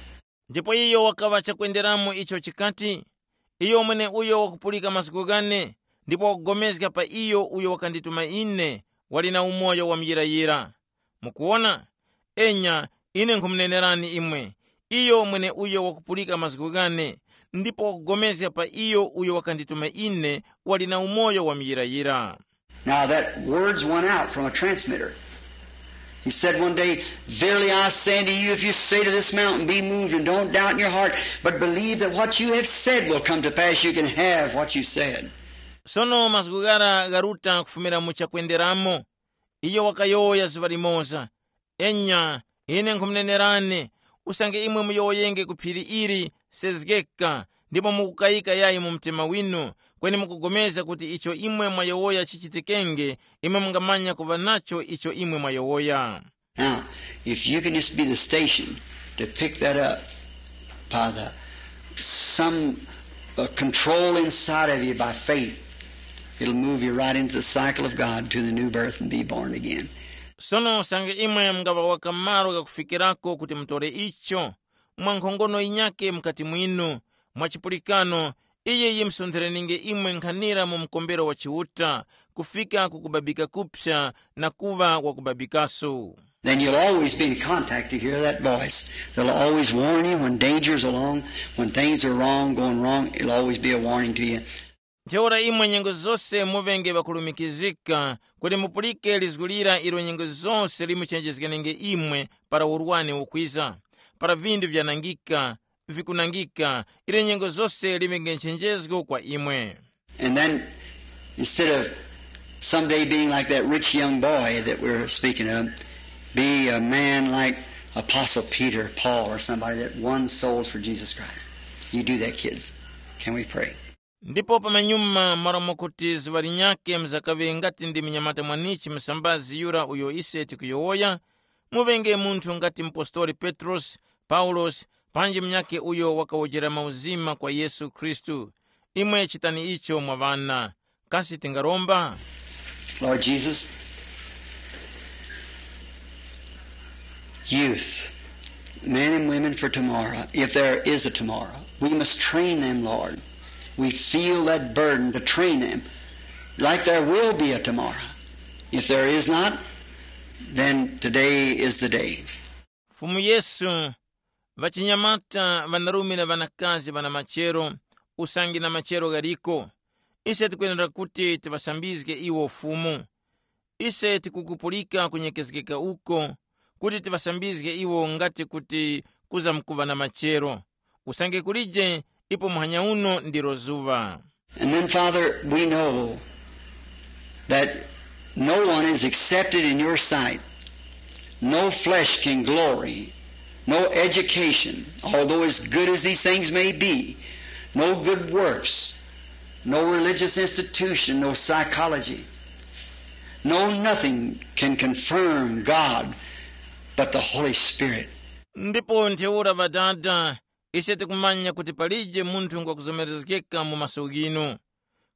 Ndipo iyo wakaŵa chakwenderamo icho chikati, iyo mwene uyo wakupulika mazgu ghane, ndipo wakugomezga pa iyo uyo wakandituma ine, wali na umoyo wa muyirayira. Mukuwona? Enya, ine nkhumunenerani imwe, iyo mwene uyo wakupulika mazgu ghane, ndipo wakugomezga pa iyo uyo wakandituma ine, wali na umoyo wa muyirayira. Now that words went out from a transmitter. He said one day, "Verily I say unto you, if you say to this mountain, 'Be moved,' and don't doubt in your heart, but believe that what you have said will come to pass, you can have what you said." Sono mazgu ghara gharuta kufumira mu chakwenderamo. Iyo wakayowoya zuŵa limoza, enya, ine nkhumunenerani, usange imwe muyowoyenge ku phiri ili, sezgeka, ndipo mukukayika yayi mu mtima winu, kweni mukupulikana kuti icho imwe mwayowoya chichitikenge, imwe mungamanya kuŵa nacho icho imwe mwayowoya. Now, if you can just be the station to pick that up by the some uh, control inside of you by faith, it'll move you right into the cycle of God to the new birth and be born again. Sono usange imwe mungaŵa waka malo ghakufikirako kuti mutore icho, mwa nkhongono yinyake mukati mwinu, mwa chipulikano, iyi yimusontherenge imwe nkhanira mu mkombero wa Chiuta, kufika ku kubabika kuphya na kuŵa wakubabikaso. Then you'll always be in contact to hear that voice. They'll always warn you when danger's along, when things are wrong, going wrong. It'll always be a warning to you. Ntheura imwe nyengo zose muŵenge ŵakulumikizika kuti mupulike lizgu lira ilo nyengo zose limuchenjezgenenge imwe para urwani ukwiza, para vindu vyanangika, vikunangika, ili nyengo zose liŵenge nchenjezgo kwa imwe. And then, instead of someday being like that rich young boy that we're speaking of, be a man like Apostle Peter, Paul, or somebody that won souls for Jesus Christ. You do that, kids. Can we pray? Ndipo pamanyuma, malo mwakuti zuŵa linyakhe mzakaŵe ngati ndi munyamata mwanichi musambazi yura uyo ise tikuyowoya, muŵenge munthu ngati mupostoli Petrosi, Paulosi, panji munyakhe uyo wakawojera mauzima kwa Yesu Khristu. Imwe chitani icho mwa ŵana. Kasi tingaromba? Lord Jesus, youth, men and women for tomorrow, if there is a tomorrow, we must train them, Lord. We feel that burden to train them, like there will be a tomorrow. If there is not, then today is the day. Fumu Yesu, ŵachinyamata, ŵanarume na ŵanakazi ŵana machero, usange na machero ghaliko, ise tikwenera kuti tiŵasambizge iwo Fumu. Ise tikukupulika kunyekezgeka uko, kuti tiŵasambizge iwo ngati kuti kuzamkuŵa na machero. Usange kulije, ipo muhanya uno ndilo zuŵa. And then, Father, we know that no one is accepted in your sight. No flesh can glory. No education, although as good as these things may be, no good works, no religious institution, no psychology, no nothing can confirm God but the Holy Spirit. Ndipo ntheura ŵadada, ise tikumanya kuti palije munthu ngwakuzomerezgeka mu maso ghinu.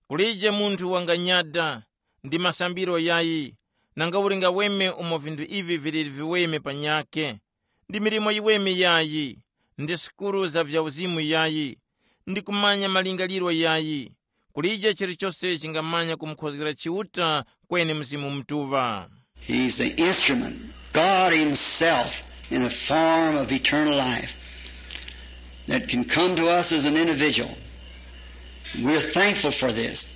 Kulije munthu wanganyada, ndi masambiro yayi, nanga uli ngaweme umo vinthu ivi viliri viweme panyakhe, ndi milimo yiweme yayi, ndi sukulu za vya uzimu yayi, ndi kumanya malingaliro yayi. Kulije chilichose chingamanya kumukhozgera Chiuta kweni Mzimu Mutuŵa. He's the instrument, God Himself, in the form of eternal life that can come to us as an individual. We're thankful for this.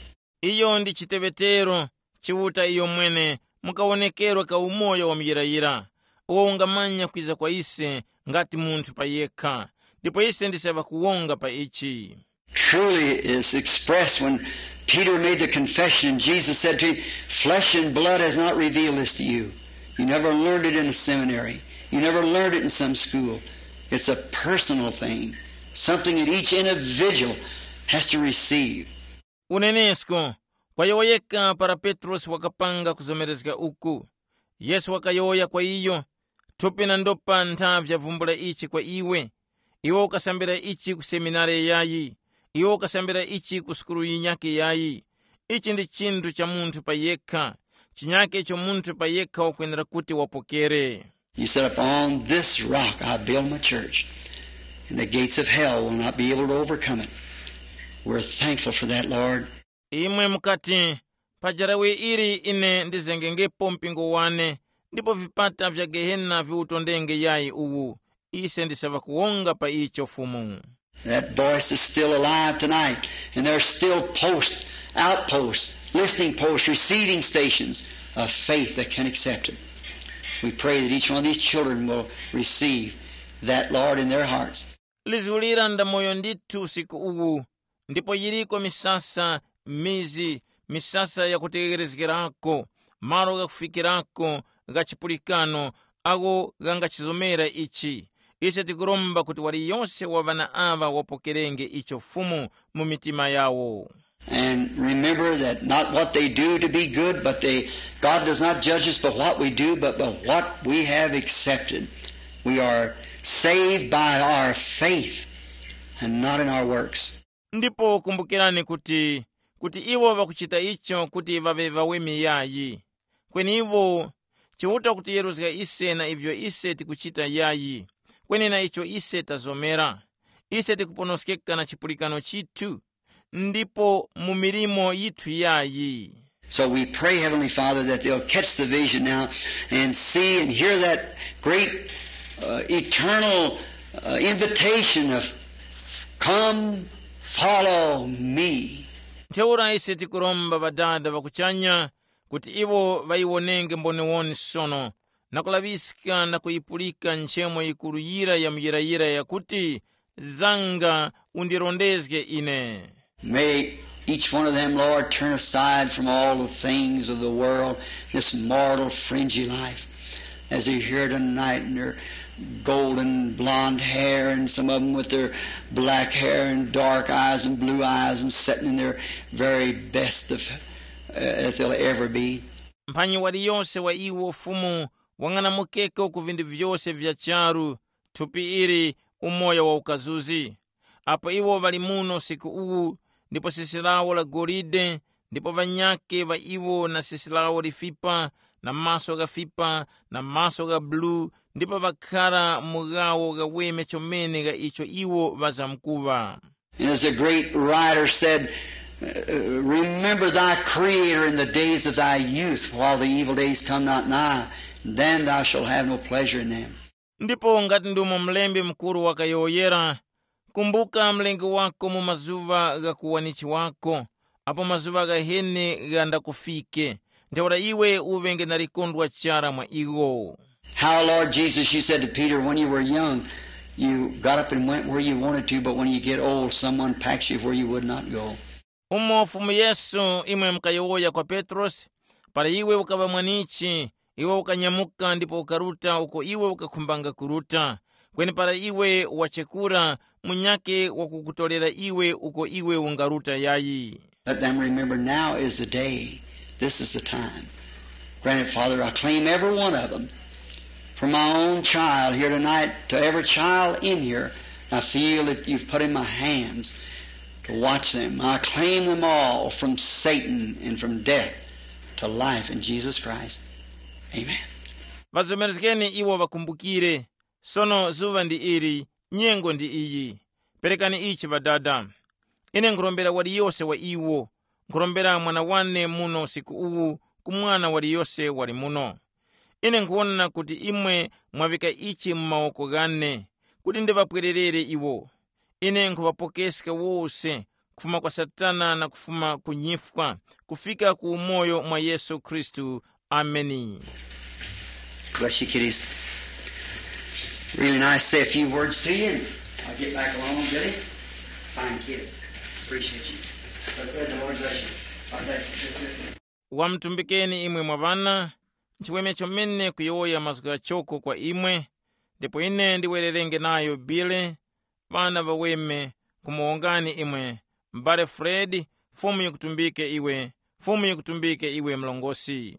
Iyo ndi chiteŵetero, Chiuta iyo mwene, mukawonekerwa ka umoyo wa muyirayira, uwo ungamanya kwiza kwa ise ngati munthu pa yekha, ndipo ise ndise ŵakuwonga pa ichi. Truly, it is expressed when Peter made the confession and Jesus said to him, "Flesh and blood has not revealed this to you. You never learned it in a seminary. You never learned it in some school." It's a personal thing, something that each individual has to receive. Unenesko, kwa yowoyeka para Petrosi wakapanga kuzomerezga uku, Yesu wakayowoya kwa iyo, thupi na ndopa ntha vyavumbula ichi kwa iwe. Iwe ukasambira ichi ku seminari yayi, iwe ukasambira ichi ku sukulu yinyakhe yayi. Ichi ndi chinthu cha munthu pa yekha, chinyakhe icho munthu pa yekha wakwenera kuti wapokere. He said, "Upon this rock I build my church, and the gates of hell will not be able to overcome it." We're thankful for that, Lord. Imwe mukati, pa jarawe ili ine ndizengengepo mpingo wane, ndipo vipata vya gehena viwutondenge yayi uwu. Ise ndise ŵakuwonga pa icho Fumu. That voice is still alive tonight, and there's still posts, outposts, listening posts, receiving stations of faith that can accept it. We pray that each one of these children will receive that, Lord, in their hearts. Lizulira ndamoyo ndithu usiku uwu, ndipo yiriko misasa, mizi, misasa yakutegherezgerako, malo ghakufikirako gha chipulikano, agho ghangachizomera ichi. Ise tikuromba kuti waliyose wa ŵana aŵa wapokerenge icho Fumu mu mitima yawo. And remember that not what they do to be good, but they, God does not judge us by what we do, but by what we have accepted. We are saved by our faith and not in our works. Ndipo kumbukirani kuti, kuti iwo ŵakuchita icho kuti ŵaŵe ŵaweme yayi. Kweni iwo, Chiuta kutiyeruzga ise na ivyo ise tikuchita yayi, kweni na icho ise tazomera. Ise tikuponoskeka na chipulikano chithu, ndipo mu milimo yithu yayi. So we pray, Heavenly Father, that they'll catch the vision now and see and hear that great, uh, eternal, uh, invitation of, "Come, follow me." Ntheura ise tikuromba Ŵadada ŵakuchanya kuti iwo ŵayiwonenge mboniwoni sono, na kulaŵiska na kuyipulika nchemo yikuru yira ya muyirayira yakuti, zanga undirondezge ine. May each one of them, Lord, turn aside from all the things of the world, this mortal fringy life, as they're here tonight in their golden blonde hair, and some of them with their black hair and dark eyes and blue eyes, and sitting in their very best of, uh, that they'll ever be. Mphanyi waliyose wa iwo Fumu wang'anamukeko ku vindu vyose vya charu, thupi ili, umoyo wa ukazuzi. Apo iwo ŵali muno usiku uwu, ndipo sisi lawo la golide, ndipo ŵanyakhe ŵa iwo na sisi lawo lifipa, na maso ghafipa, na maso gha bulu, ndipo ŵakhara mu gawo ghaweme chomene gha icho iwo ŵazamkuŵa. And as the great writer said, uh, remember thy Creator in the days of thy youth, while the evil days come not nigh, then thou shalt have no pleasure in them. Ndipo ngati ndumo mlembi mukuru wakayowoyera, kumbuka mlengi wako mu mazuŵa gha kuwanichi wako, apo mazuŵa ghaheni ghandakufike, ntheura iwe uŵenge na likondwa chara mwa iwo. How, Lord Jesus, you said to Peter, when you were young, you got up and went where you wanted to, but when you get old, someone packs you where you would not go. Umo Fumu Yesu imwe mukayowoya kwa Petrosi, para iwe ukaŵa mwanichi, iwe ukanyamuka ndipo ukaruta uko iwe ukakhumbanga kuruta. Kweni para iwe wachekura, munyakhe wakukutorera iwe uko iwe ungaruta yayi. Let them remember now is the day. This is the time. Granted, Father, I claim every one of them. From my own child here tonight to every child in here, I feel that you've put in my hands to watch them. I claim them all from Satan and from death to life in Jesus Christ. Amen. Vazomerezgeni iwo vakumbukire. Sono zuŵa ndi ili, nyengo ndi iyi. Perekani ichi Ŵadada. Ine nkhurombera waliyose wa iwo. Nkhurombera mwana wane muno usiku uwu, ku mwana waliyose wali muno. Ine nkhuwona kuti imwe mwaŵika ichi mu mawoko ghane, kuti ndiŵapwererere iwo. Ine nkhuŵapokeska wose, kufuma kwa Satana na kufuma ku nyifwa, kufika ku umoyo mwa Yesu Khristu. Ameni. Bless you, kiddies. Really nice to say a few words to you, and I'll get back along, Billy. Fine kid. Appreciate you. But the Lord bless you. God bless you, sister. Wamutumbikeni imwe mwa ŵana, nchiweme chomene kuyowoya mazgu ghachoko kwa imwe, ndipo ine ndiwererenge nayo Bile, ŵana ŵaweme, kumuwongani imwe, m'bale Fred, Fumu yikutumbike iwe, Fumu yikutumbike iwe mlongosi.